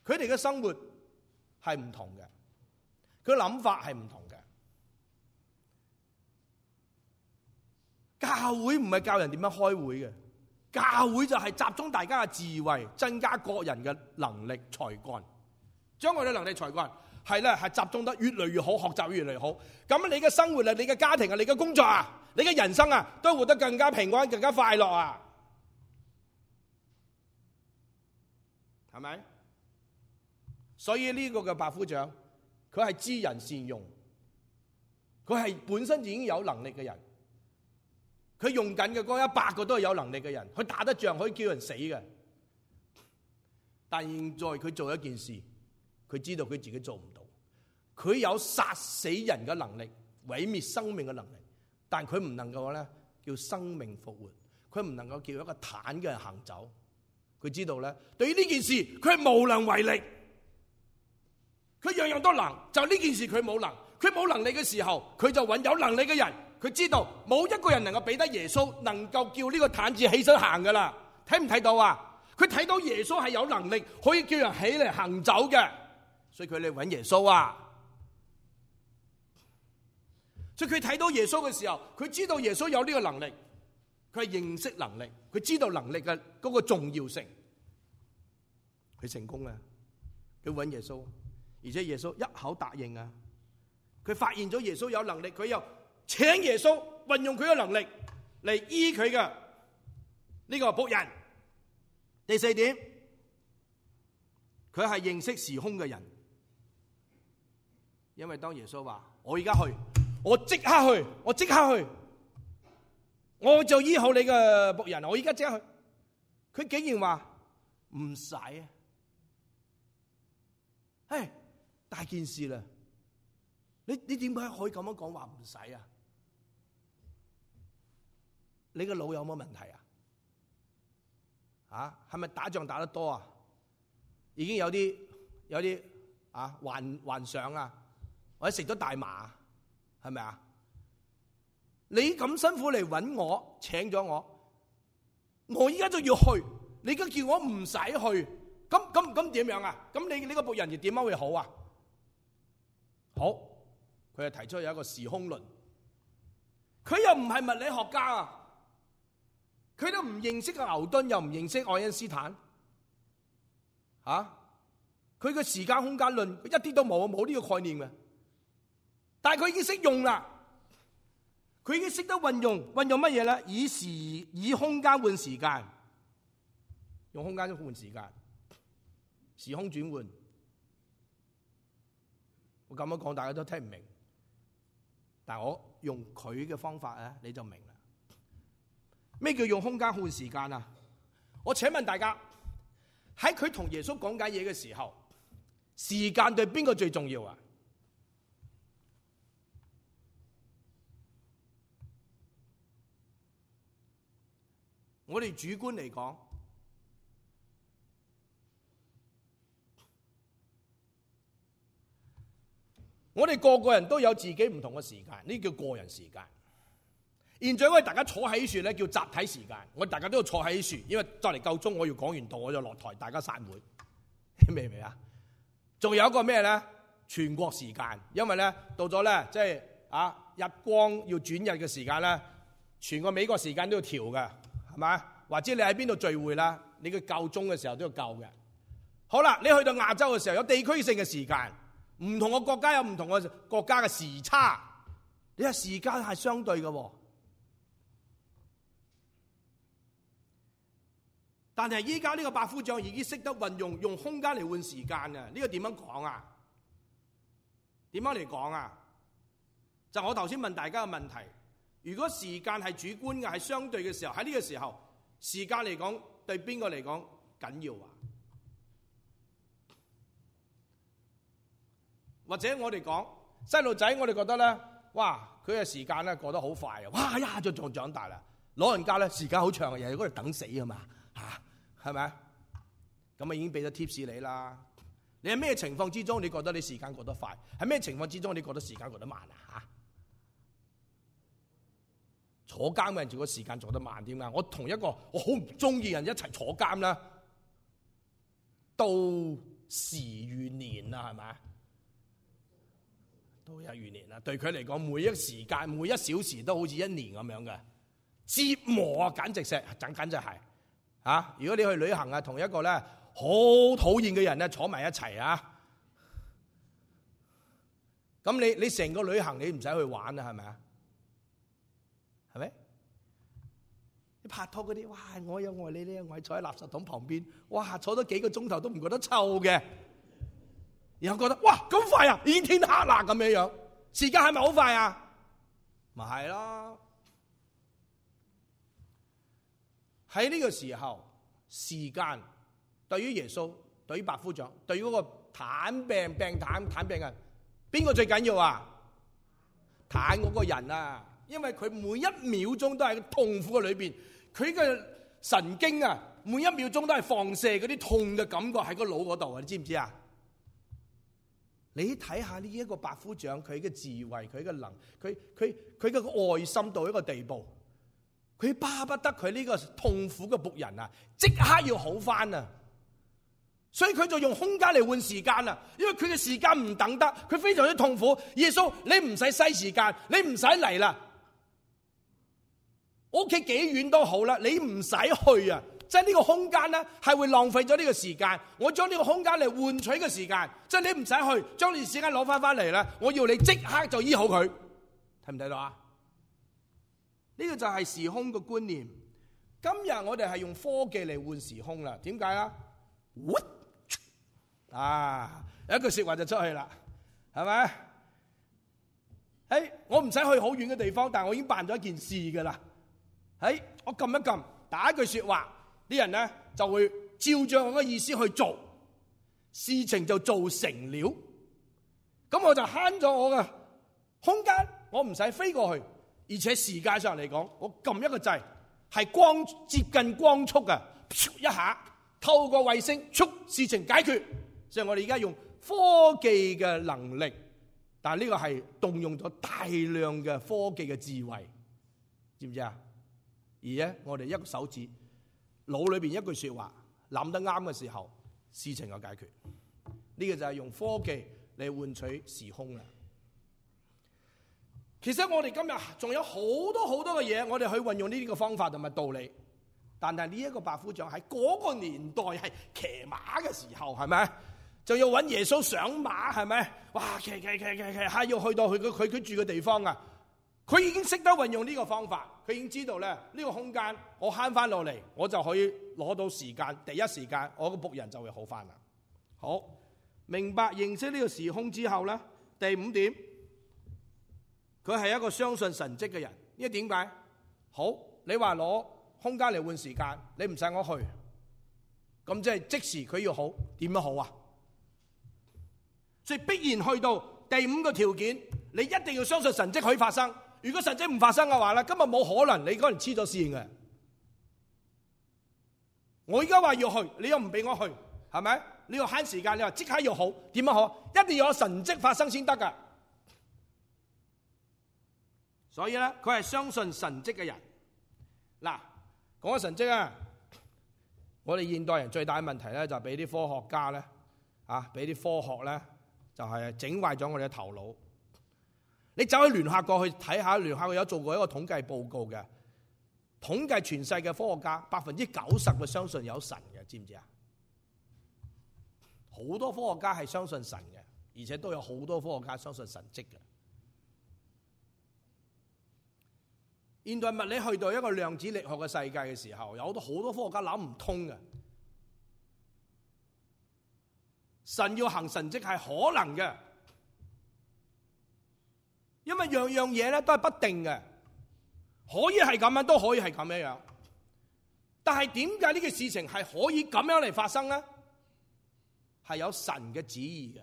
佢哋嘅生活係唔同嘅，佢諗法係唔同嘅。教會唔係教人點樣開會嘅，教會就係集中大家嘅智慧，增加個人嘅能力才幹，將我哋能力才幹。係咧，係集中得越嚟越好，學習越嚟越好。咁你嘅生活啊，你嘅家庭啊，你嘅工作啊，你嘅人生啊，都活得更加平安、更加快樂啊，係咪？所以呢個嘅百夫長，佢係知人善用，佢係本身已經有能力嘅人，佢用緊嘅嗰100個都係有能力嘅人，佢打得仗可以叫人死嘅。但現在佢做一件事，佢知道佢自己做唔到，佢有殺死人嘅能力，毀滅生命嘅能力，但佢唔能夠咧叫生命復活，佢唔能夠叫一個癱嘅人行走。佢知道咧，對於呢件事佢係無能為力，佢樣樣都能，就呢件事佢冇能。佢冇能力嘅時候，佢就揾有能力嘅人。佢知道冇一個人能夠比得耶穌能夠叫呢個癱子起身行噶啦。睇唔睇到啊？佢睇到耶穌係有能力可以叫人起嚟行走嘅。所以佢嚟揾耶穌啊！所以佢睇到耶穌嘅時候，佢知道耶穌有呢個能力，佢係認識能力，佢知道能力嘅嗰個重要性，佢成功啊！佢揾耶穌，而且耶穌一口答應啊！佢發現咗耶穌有能力，佢又請耶穌運用佢嘅能力嚟醫佢嘅呢個僕人。第4點，佢係認識時空嘅人。因為當耶穌話我而家去，我即刻去，我就醫好你嘅僕人，我而家即刻去。佢竟然話唔使啊！唉，大件事啦！你點解可以咁樣講話唔使啊？你個腦有冇問題啊？啊，係咪打仗打得多啊？已經有啲幻想啊！或者食咗大麻，係咪啊？你咁辛苦嚟揾我，請咗我而家就要去，你而家叫我唔使去，咁點樣啊？咁你個僕人又點樣會好啊？好，佢係提出有一個時空論。佢又唔係物理學家啊，佢都唔認識牛頓，又唔認識愛因斯坦，佢嘅時間空間論一啲都冇呢個概念嘅。但係佢已經識用啦，佢已經識得運用乜嘢咧？以空間換時間，用空間換時間，時空轉換。我咁樣講，大家都聽唔明，但係我用佢嘅方法咧，你就明啦。咩叫用空間換時間啊？我請問大家，喺佢同耶穌講解嘢嘅時候，時間對邊個最重要啊？我哋主觀嚟講，我哋個個人都有自己唔同嘅時間，呢叫個人時間。現在我哋大家坐喺樹咧，叫集體時間。我哋大家都要坐喺樹，因為就嚟夠鐘，我要講完道，我就落台，大家散會，明唔明啊？仲有一個咩咧？全國時間，因為咧到咗咧，即係日光要轉日嘅時間咧，全個美國時間都要調嘅，係咪？或者你喺邊度聚會啦，你嘅夠鐘嘅時候都要夠嘅。好啦，你去到亞洲嘅時候，有地區性嘅時間，唔同嘅國家有唔同嘅國家嘅時差，你話時間係相對嘅。但係依家呢個百夫長已經識得運用空間嚟換時間啊！呢個點樣講啊？點樣嚟講啊？就我頭先問大家嘅問題，如果時間係主觀嘅，係相對嘅時候，喺呢個時候，時間嚟講對邊個嚟講緊要啊？或者我哋講細路仔，我哋覺得咧，哇，佢嘅時間咧過得好快啊！哇，一下就長大啦。老人家咧時間好長，日日嗰度等死啊嘛，係咪？咁啊已經俾咗 tips 你啦。你喺咩情況之中你覺得你時間過得快？喺咩情況之中你覺得時間過得慢啊？坐監嘅人，如果時間做得慢點啊？我同一個我好唔中意人一齊坐監啦，到時如年啦，係咪？都有如年啦。對佢嚟講，每一時間每一小時都好似一年咁樣嘅折磨啊，簡直係。如果你去旅行啊，同一個咧好討厭嘅人咧坐埋一齊啊，咁你成個旅行你唔使去玩啊，係咪啊？係咪？你拍拖嗰啲，哇！我有愛你，你有愛，坐喺垃圾桶旁邊，哇！坐咗幾個鐘頭都唔覺得臭嘅，然後覺得哇咁快啊，已經天黑啦咁樣，時間係咪好快啊？咪係咯。喺呢個時候，時間對於耶穌、對於百夫長、對於嗰個癱病人，邊個最緊要啊？癱嗰個人啊，因為佢每一秒鐘都喺痛苦嘅裏邊，佢嘅神經啊，每一秒鐘都係放射嗰啲痛嘅感覺喺個腦嗰度啊，你知唔知啊？你睇下呢一個百夫長，佢嘅智慧，佢嘅佢嘅愛心到一個地步。佢巴不得佢呢個痛苦嘅僕人啊，即刻要好翻啊！所以佢就用空間嚟換時間啊，因為佢嘅時間唔等得，佢非常之痛苦。耶穌，你唔使嘥時間，你唔使嚟啦，我屋企幾遠都好啦，你唔使去啊！即係呢個空間咧，係會浪費咗呢個時間。我將呢個空間嚟換取嘅時間，即係你唔使去，將呢個時間攞翻嚟啦。我要你即刻就醫好佢，睇唔睇到啊？呢個就係時空嘅觀念。今日我哋係用科技嚟換時空啦。點解啊？有一句說話就出去啦，係咪？我唔使去好遠嘅地方，但係我已經辦咗一件事噶啦。我撳一撳，打一句說話，啲人咧就會照着我嘅意思去做，事情就做成了。咁我就慳咗我嘅空間，我唔使飛過去。而且時間上嚟講，我撳一個掣，係接近光速嘅，一下透過衛星，事情解決。所以我哋而家用科技嘅能力，但係呢個係動用咗大量嘅科技嘅智慧，知唔知啊？而咧，我哋一個手指，腦裏邊一句說話諗得啱嘅時候，事情就解決。呢個就係用科技嚟換取時空啦。其實我哋今日仲有好多嘅嘢，我哋去運用呢啲嘅方法同埋道理。但係呢一個百夫長喺嗰個年代係騎馬嘅時候，係咪？就要揾耶穌上馬，係咪？哇！騎，係要去到佢住嘅地方啊！佢已經識得運用呢個方法，佢已經知道咧呢個空間我慳翻落嚟，我就可以攞到時間，第一時間我個僕人就會好翻啦。好，明白認識呢個時空之後咧，第5點，佢係一個相信神蹟嘅人。因為點解？好，你話攞空間嚟換時間，你唔使我去，咁即係即時佢要好，點樣好啊？所以必然去到第5個條件，你一定要相信神蹟可以發生。如果神蹟唔發生嘅話咧，今日冇可能，你嗰人黐咗線嘅。我而家話要去，你又唔俾我去，係咪？你要慳時間，你話即刻要好，點樣好？一定要有神蹟發生先得噶。所以咧，佢係相信神蹟嘅人。嗱，講緊神蹟啊，我哋現代人最大嘅問題咧，就係俾啲科學家咧，俾啲科學咧，就係整壞咗我哋嘅頭腦。你走去聯合國去睇下，聯合國有做過一個統計報告嘅，統計全世界科學家90%會相信有神嘅，知唔知啊？好多科學家係相信神嘅，而且都有好多科學家相信神蹟嘅。現代物理去到一個量子力學嘅世界嘅時候，有好多科學家諗唔通嘅。神要行神蹟係可能嘅，因為樣樣嘢咧都係不定嘅，可以係咁樣，都可以係咁樣樣。但係點解呢個事情係可以咁樣嚟發生咧？係有神嘅旨意嘅。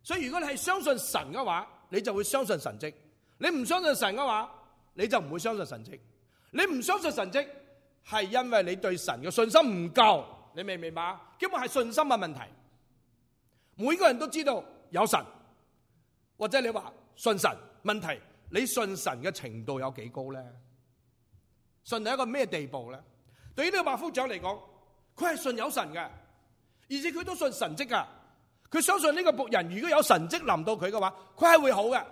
所以如果你係相信神嘅話，你就會相信神蹟。你唔相信神嘅話，你就唔會相信神蹟。你唔相信神蹟，係因為你對神嘅信心唔夠。你明唔明白？基本係信心嘅問題。每個人都知道有神，或者你話信神，問題你信神嘅程度有幾高咧？信到一個咩地步咧？對於呢個百夫長嚟講，佢係信有神嘅，而且佢都信神蹟噶。佢相信呢個僕人如果有神蹟臨到佢嘅話，佢係會好嘅。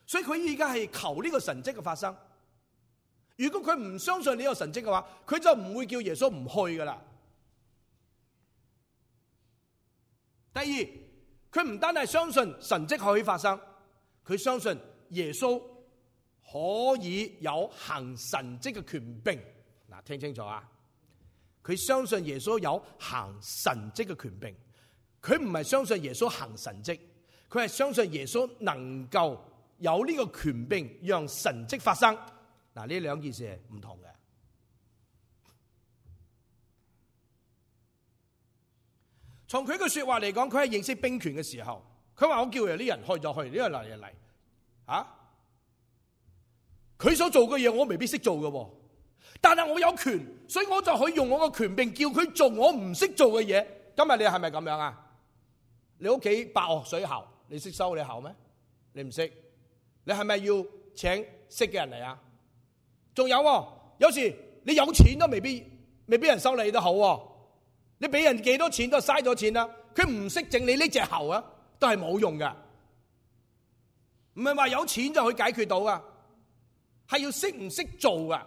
所以佢而家係求呢個神蹟嘅發生。如果佢唔相信呢個神蹟嘅話，佢就唔會叫耶穌唔去噶啦。第二，佢唔單係相信神蹟可以發生，佢相信耶穌可以有行神蹟嘅權柄。嗱，聽清楚啊！佢相信耶穌有行神蹟嘅權柄，佢唔係相信耶穌行神蹟，佢係相信耶穌能夠有呢個權柄讓神蹟發生。嗱，呢兩件事係唔同嘅。從佢嘅說話嚟講，佢係認識兵權嘅時候，佢話我叫人啲人去就去，呢個嚟就嚟。佢所做嘅嘢我未必識做嘅，但係我有權，所以我就可以用我嘅權柄叫佢做我唔識做嘅嘢。今日你係咪咁樣啊？你屋企爆水喉，你識修你喉咩？你唔識，你係咪要請識嘅人嚟啊？仲有，有時你有錢都未必人收你都好，你俾人幾多錢都嘥咗錢啦。佢唔識整你呢隻喉啊，都係冇用噶。唔係話有錢就可以解決到噶，係要識唔識做噶。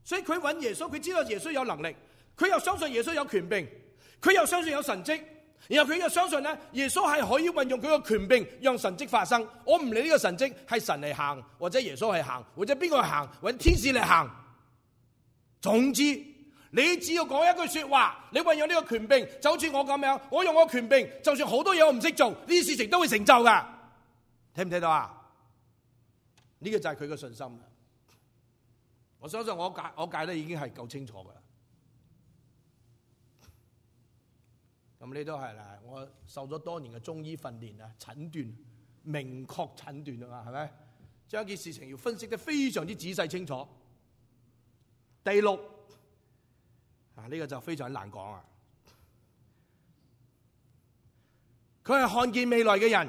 所以佢揾耶穌，佢知道耶穌有能力，佢又相信耶穌有權柄，佢又相信有神蹟。然後佢又相信咧，耶穌係可以運用佢個權柄讓神蹟發生。我唔理呢個神蹟係神嚟行，或者耶穌係行，或者邊個行，或者天使嚟行。總之，你只要講一句說話，你運用呢個權柄，就好似我咁樣，我用我權柄，就算好多嘢我唔識做，呢啲事情都會成就噶。聽唔聽到啊？呢個就係佢嘅信心。我相信我解得已經係夠清楚噶啦。咁呢都係啦，我受咗多年嘅中醫訓練啊，診斷明確診斷啊嘛，係咪？將一件事情要分析得非常之仔細清楚。第六呢個就非常難講啊。佢係看見未來嘅人，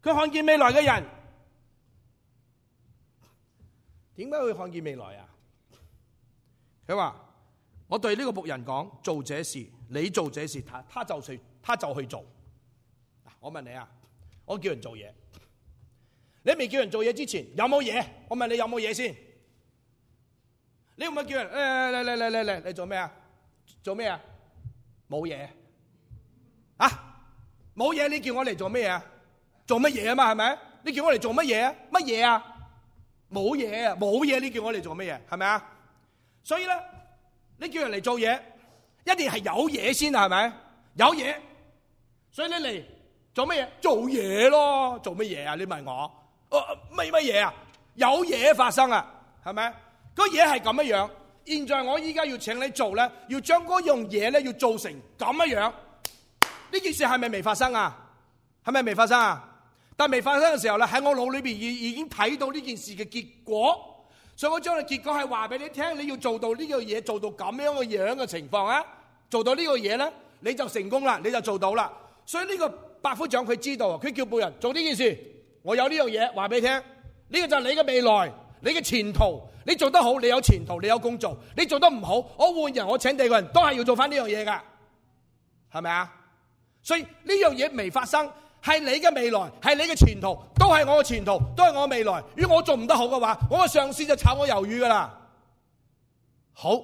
佢看見未來嘅人，點解會看見未來啊？佢話：我對呢個僕人講，做這事，你做這事，他就去做。我問你啊，我叫人做嘢，你未叫人做嘢之前有冇嘢？我問你有冇嘢先？你會唔會叫人嚟，你做咩啊？做咩啊？冇嘢啊？冇嘢，你叫我嚟做咩啊？做乜嘢啊嘛？係咪？你叫我嚟做乜嘢啊？乜嘢啊？冇嘢啊！冇嘢，你叫我嚟做乜嘢？係咪啊？所以咧，你叫人嚟做嘢，一定係有嘢先啊？係咪？有嘢，所以你嚟做乜嘢？做嘢咯，做乜嘢啊？你問我，乜嘢啊？有嘢發生啊？係咪？個嘢係咁樣。現在我依家要請你做咧，要將嗰樣嘢咧要做成咁樣。呢件事係咪未發生啊？係咪未發生啊？但未發生嘅時候咧，喺我腦裏邊已經睇到呢件事嘅結果，所以我將個結果係話俾你聽，你要做到呢個嘢，做到咁樣嘅情況啊，做到呢個嘢咧，你就成功啦，你就做到啦。所以呢個百夫長佢知道，佢叫僕人做呢件事，我有呢樣嘢話俾你聽，呢個就係你嘅未來，你嘅前途，你做得好，你有前途，你有工做；你做得唔好，我換人，我請第二個人都係要做翻呢樣嘢噶，係咪啊？所以呢樣嘢未發生。係你嘅未來，係你嘅前途，都係我嘅前途，都係我嘅未來。如果我做唔得好嘅話，我嘅上司就炒我魷魚噶啦。好，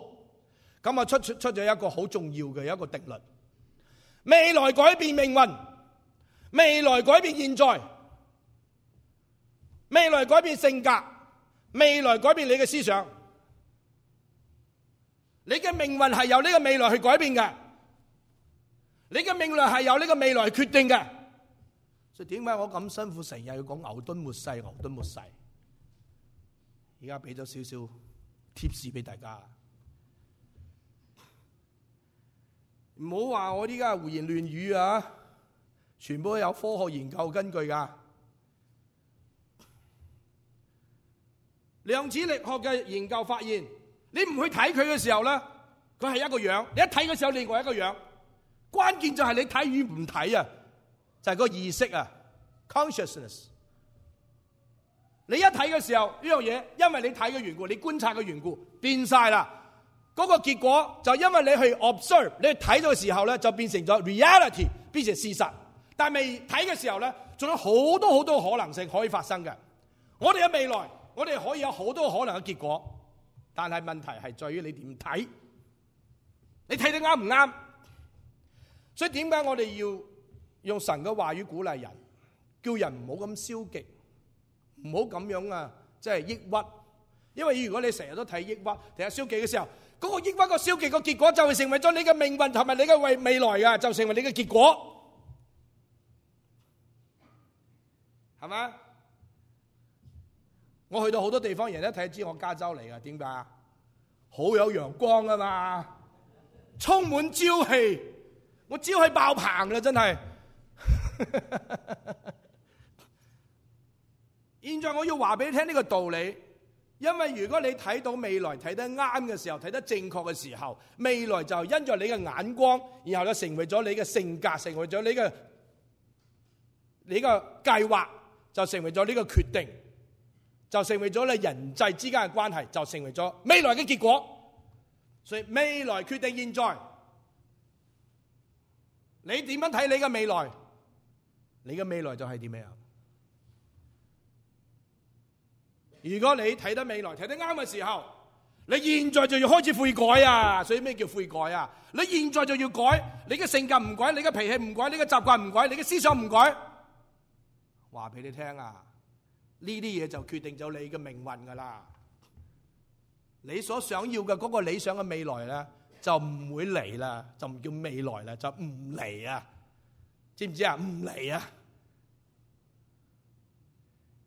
咁啊出咗一個好重要嘅一個定律：未來改變命運，未來改變現在，未來改變性格，未來改變你嘅思想。你嘅命運係由呢個未來去改變嘅，你嘅命運係由呢個未來去決定嘅。所以點解我咁辛苦成日要講牛頓末世，牛頓末世？而家俾咗少少貼士俾大家，唔好話我依家胡言亂語啊！全部都有科學研究根據噶。量子力學嘅研究發現，你唔去睇佢嘅時候咧，佢係一個樣；你一睇嘅時候，另外一個樣。關鍵就係你睇與唔睇啊！就係個意識啊 ，consciousness。你一睇嘅時候，呢樣嘢，因為你睇嘅緣故，你觀察嘅緣故，變晒啦。嗰個結果就因為你去 observe， 你去睇到嘅時候咧，就變成咗 reality， 變成事實。但係未睇嘅時候咧，仲有好多可能性可以發生嘅。我哋嘅未來，我哋可以有好多可能嘅結果，但係問題係在於你點睇，你睇得啱唔啱？所以點解我哋要用神嘅話語鼓勵人，叫人唔好咁消極，唔好咁樣啊，即係抑鬱。因為如果你成日都睇抑鬱、睇消極嘅時候，嗰個抑鬱、個消極個結果就會成為咗你嘅命運同埋你嘅未來啊，就成為你嘅結果，係咪？我去到好多地方，人一睇知我加州嚟噶，點解啊？好有陽光啊嘛，充滿朝氣，我朝氣爆棚啦，真係。現在我要話俾你聽呢個道理，因為如果你睇到未來睇得啱嘅時候，睇得正確嘅時候，未來就因着你嘅眼光，然後就成為咗你嘅性格，成為咗你嘅計劃，就成為咗呢個決定，就成為咗你人際之間嘅關係，就成為咗未來嘅結果。所以未來決定現在，你點樣睇你嘅未來？你嘅未來就係點樣？如果你睇得未來睇得啱嘅時候，你現在就要開始悔改啊！所以咩叫悔改啊？你現在就要改，你嘅性格唔改，你嘅脾氣唔改，你嘅習慣唔改，你嘅思想唔改，話俾你聽啊！呢啲嘢就決定咗你嘅命運噶啦。你所想要嘅嗰個理想嘅未來咧，就唔會嚟啦，就唔叫未來啦，就唔嚟啊！知唔知啊？唔嚟啊！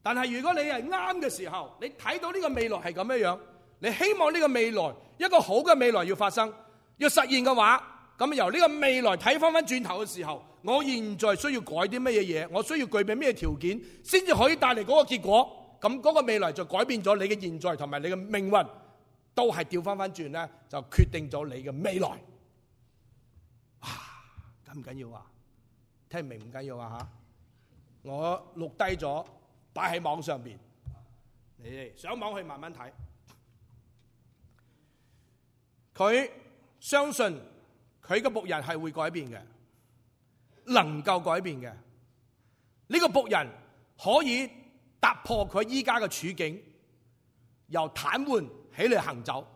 但係如果你係啱嘅時候，你睇到呢個未來係咁樣樣，你希望呢個未來一個好嘅未來要發生，要實現嘅話，咁由呢個未來睇翻轉頭嘅時候，我現在需要改啲乜嘢嘢，我需要具備咩條件，先至可以帶嚟嗰個結果，咁嗰個未來就改變咗你嘅現在同埋你嘅命運，都係調翻轉咧，就決定咗你嘅未來。哇，緊唔緊要啊？聽唔明唔緊要啊吓，我錄低咗。擺喺網上邊，你哋上網去慢慢睇。佢相信佢嘅僕人係會改變嘅，能夠改變嘅。呢個僕人可以突破佢依家嘅處境，由癱瘓起嚟行走。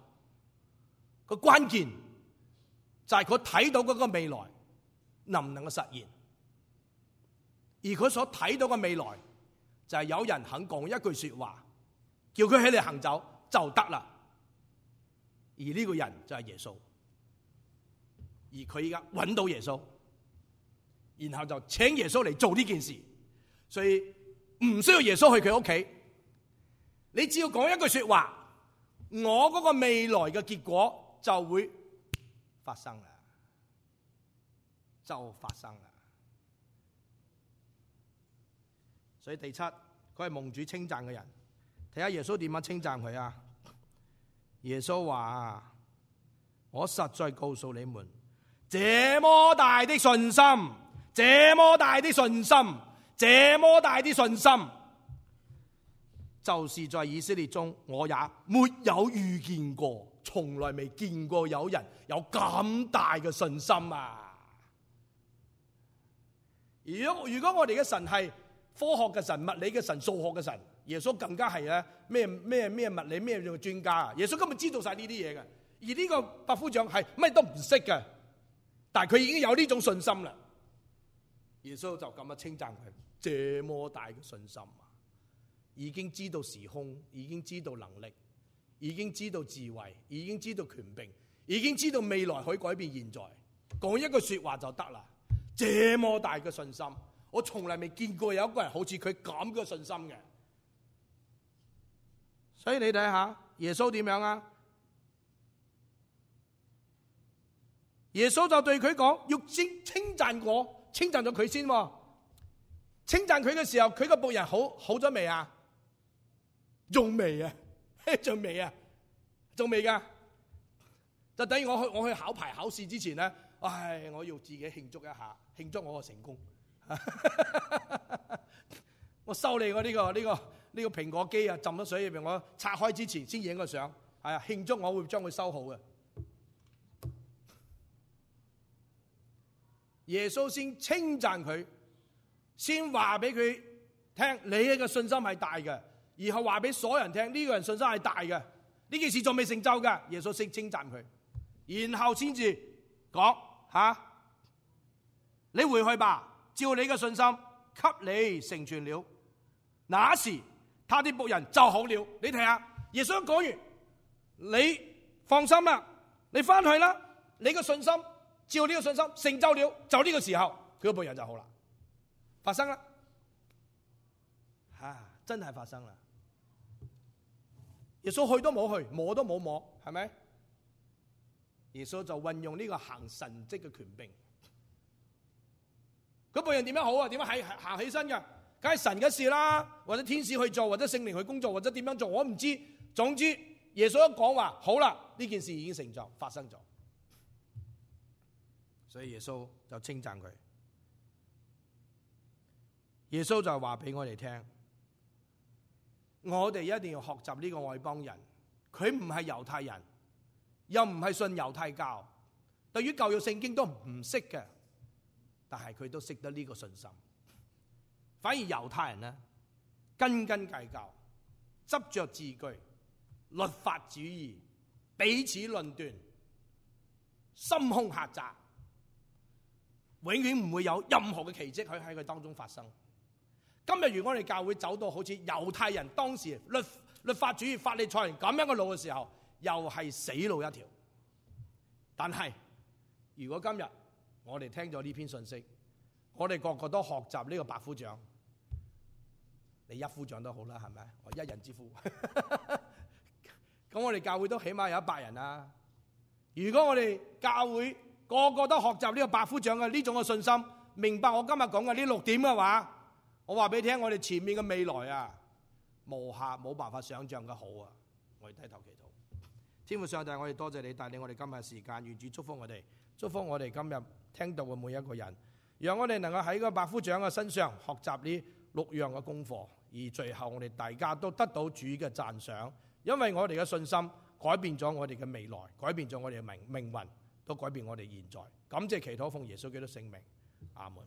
個關鍵就係佢睇到嗰個未來能唔能夠實現，而佢所睇到嘅未來就係有人肯講一句說話，叫佢起嚟行走就得啦。而呢個人就係耶穌，而佢依家揾到耶穌，然後就請耶穌嚟做呢件事，所以唔需要耶穌去佢屋企，你只要講一句說話，我嗰個未來嘅結果就會發生啦，就發生啦。所以第七，佢係蒙主稱讚嘅人。睇下耶穌點樣稱讚佢啊？耶穌話：我實在告訴你們，這麼大的信心，這麼大的信心，這麼大的信心，就是在以色列中我也沒有遇見過，從來未見過有人有咁大嘅信心啊！如果我哋嘅神係科學嘅神、物理嘅神、數學嘅神，耶穌更加係咧咩物理咩專家啊！耶穌根本知道晒呢啲嘢嘅，而呢個百夫長係乜都唔識嘅，但係佢已經有呢種信心啦。耶穌就咁樣稱讚佢，這麼大嘅信心啊！已經知道時空，已經知道能力，已經知道智慧，已經知道權柄，已經知道未來可以改變現在，講一句說話就得啦。這麼大嘅信心，我從來未見過有一個人好似佢咁嘅信心嘅。所以你睇下耶穌點樣啊？耶穌就對佢講，要稱讚我，稱讚咗佢先。稱讚佢嘅時候，佢個僕人好咗未啊？仲未啊？仲未啊？仲未噶？就等於我去考牌考試之前咧，我要自己慶祝一下，慶祝我嘅成功。我收你我呢個蘋果機啊，浸咗水入邊，我拆開之前先影個相，係啊，慶祝我會將佢收好嘅。耶穌先稱讚佢，先話俾佢聽，你嘅信心係大嘅，然後話俾所有人聽，呢個人信心係大嘅，呢件事仲未成就嘅。耶穌先稱讚佢，然後先至講你回去吧，照你嘅信心給你成全了。那時他的僕人就好了。你睇下，耶穌講完，你放心啦，你翻去啦，你嘅信心照呢個信心成就了，就呢個時候佢個僕人就好啦，發生啦，真係發生啦。耶穌去都冇去，摸都冇摸，係咪？耶穌就運用呢個行神蹟嘅權柄。嗰僕人點樣好啊？點樣行起身㗎？梗係神嘅事啦，或者天使去做，或者聖靈去工作，或者點樣做，我唔知。總之耶穌一講話好啦，呢件事已經成就，發生咗。所以耶穌就稱讚佢。耶穌就話俾我哋聽，我哋一定要學習呢個外邦人，佢唔係猶太人，又唔係信猶太教，對於舊約聖經都唔識嘅，但係佢都識得呢個信心。反而猶太人呢，斤斤計較，執着字句，律法主義，彼此論斷，心胸狹窄，永遠唔會有任何嘅奇蹟可以喺佢當中發生。今日如果我哋教會走到好似猶太人當時律法主義、法利賽人咁樣嘅路嘅時候，又係死路一條。但係如果今日我哋聽咗呢篇信息，我哋個個都學習呢個百夫長，你一夫長都好啦，係咪？我一人之夫。咁我哋教會都起碼有100人啦。如果我哋教會個個都學習呢個百夫長嘅呢種嘅信心，明白我今日講嘅呢6點嘅話，我話俾你聽，我哋前面嘅未來啊，冇辦法想象嘅好啊！我哋低頭祈禱。天父上帝，我哋多謝你帶領我哋今日嘅時間，願主祝福我哋，祝福我哋今日聽到嘅每一個人，讓我哋能夠喺個百夫長嘅身上學習呢6樣嘅功課，而最後我哋大家都得到主嘅讚賞，因為我哋嘅信心改變咗我哋嘅未來，改變咗我哋嘅命運，都改變我哋現在。感謝祈禱奉耶穌基督聖名，阿門。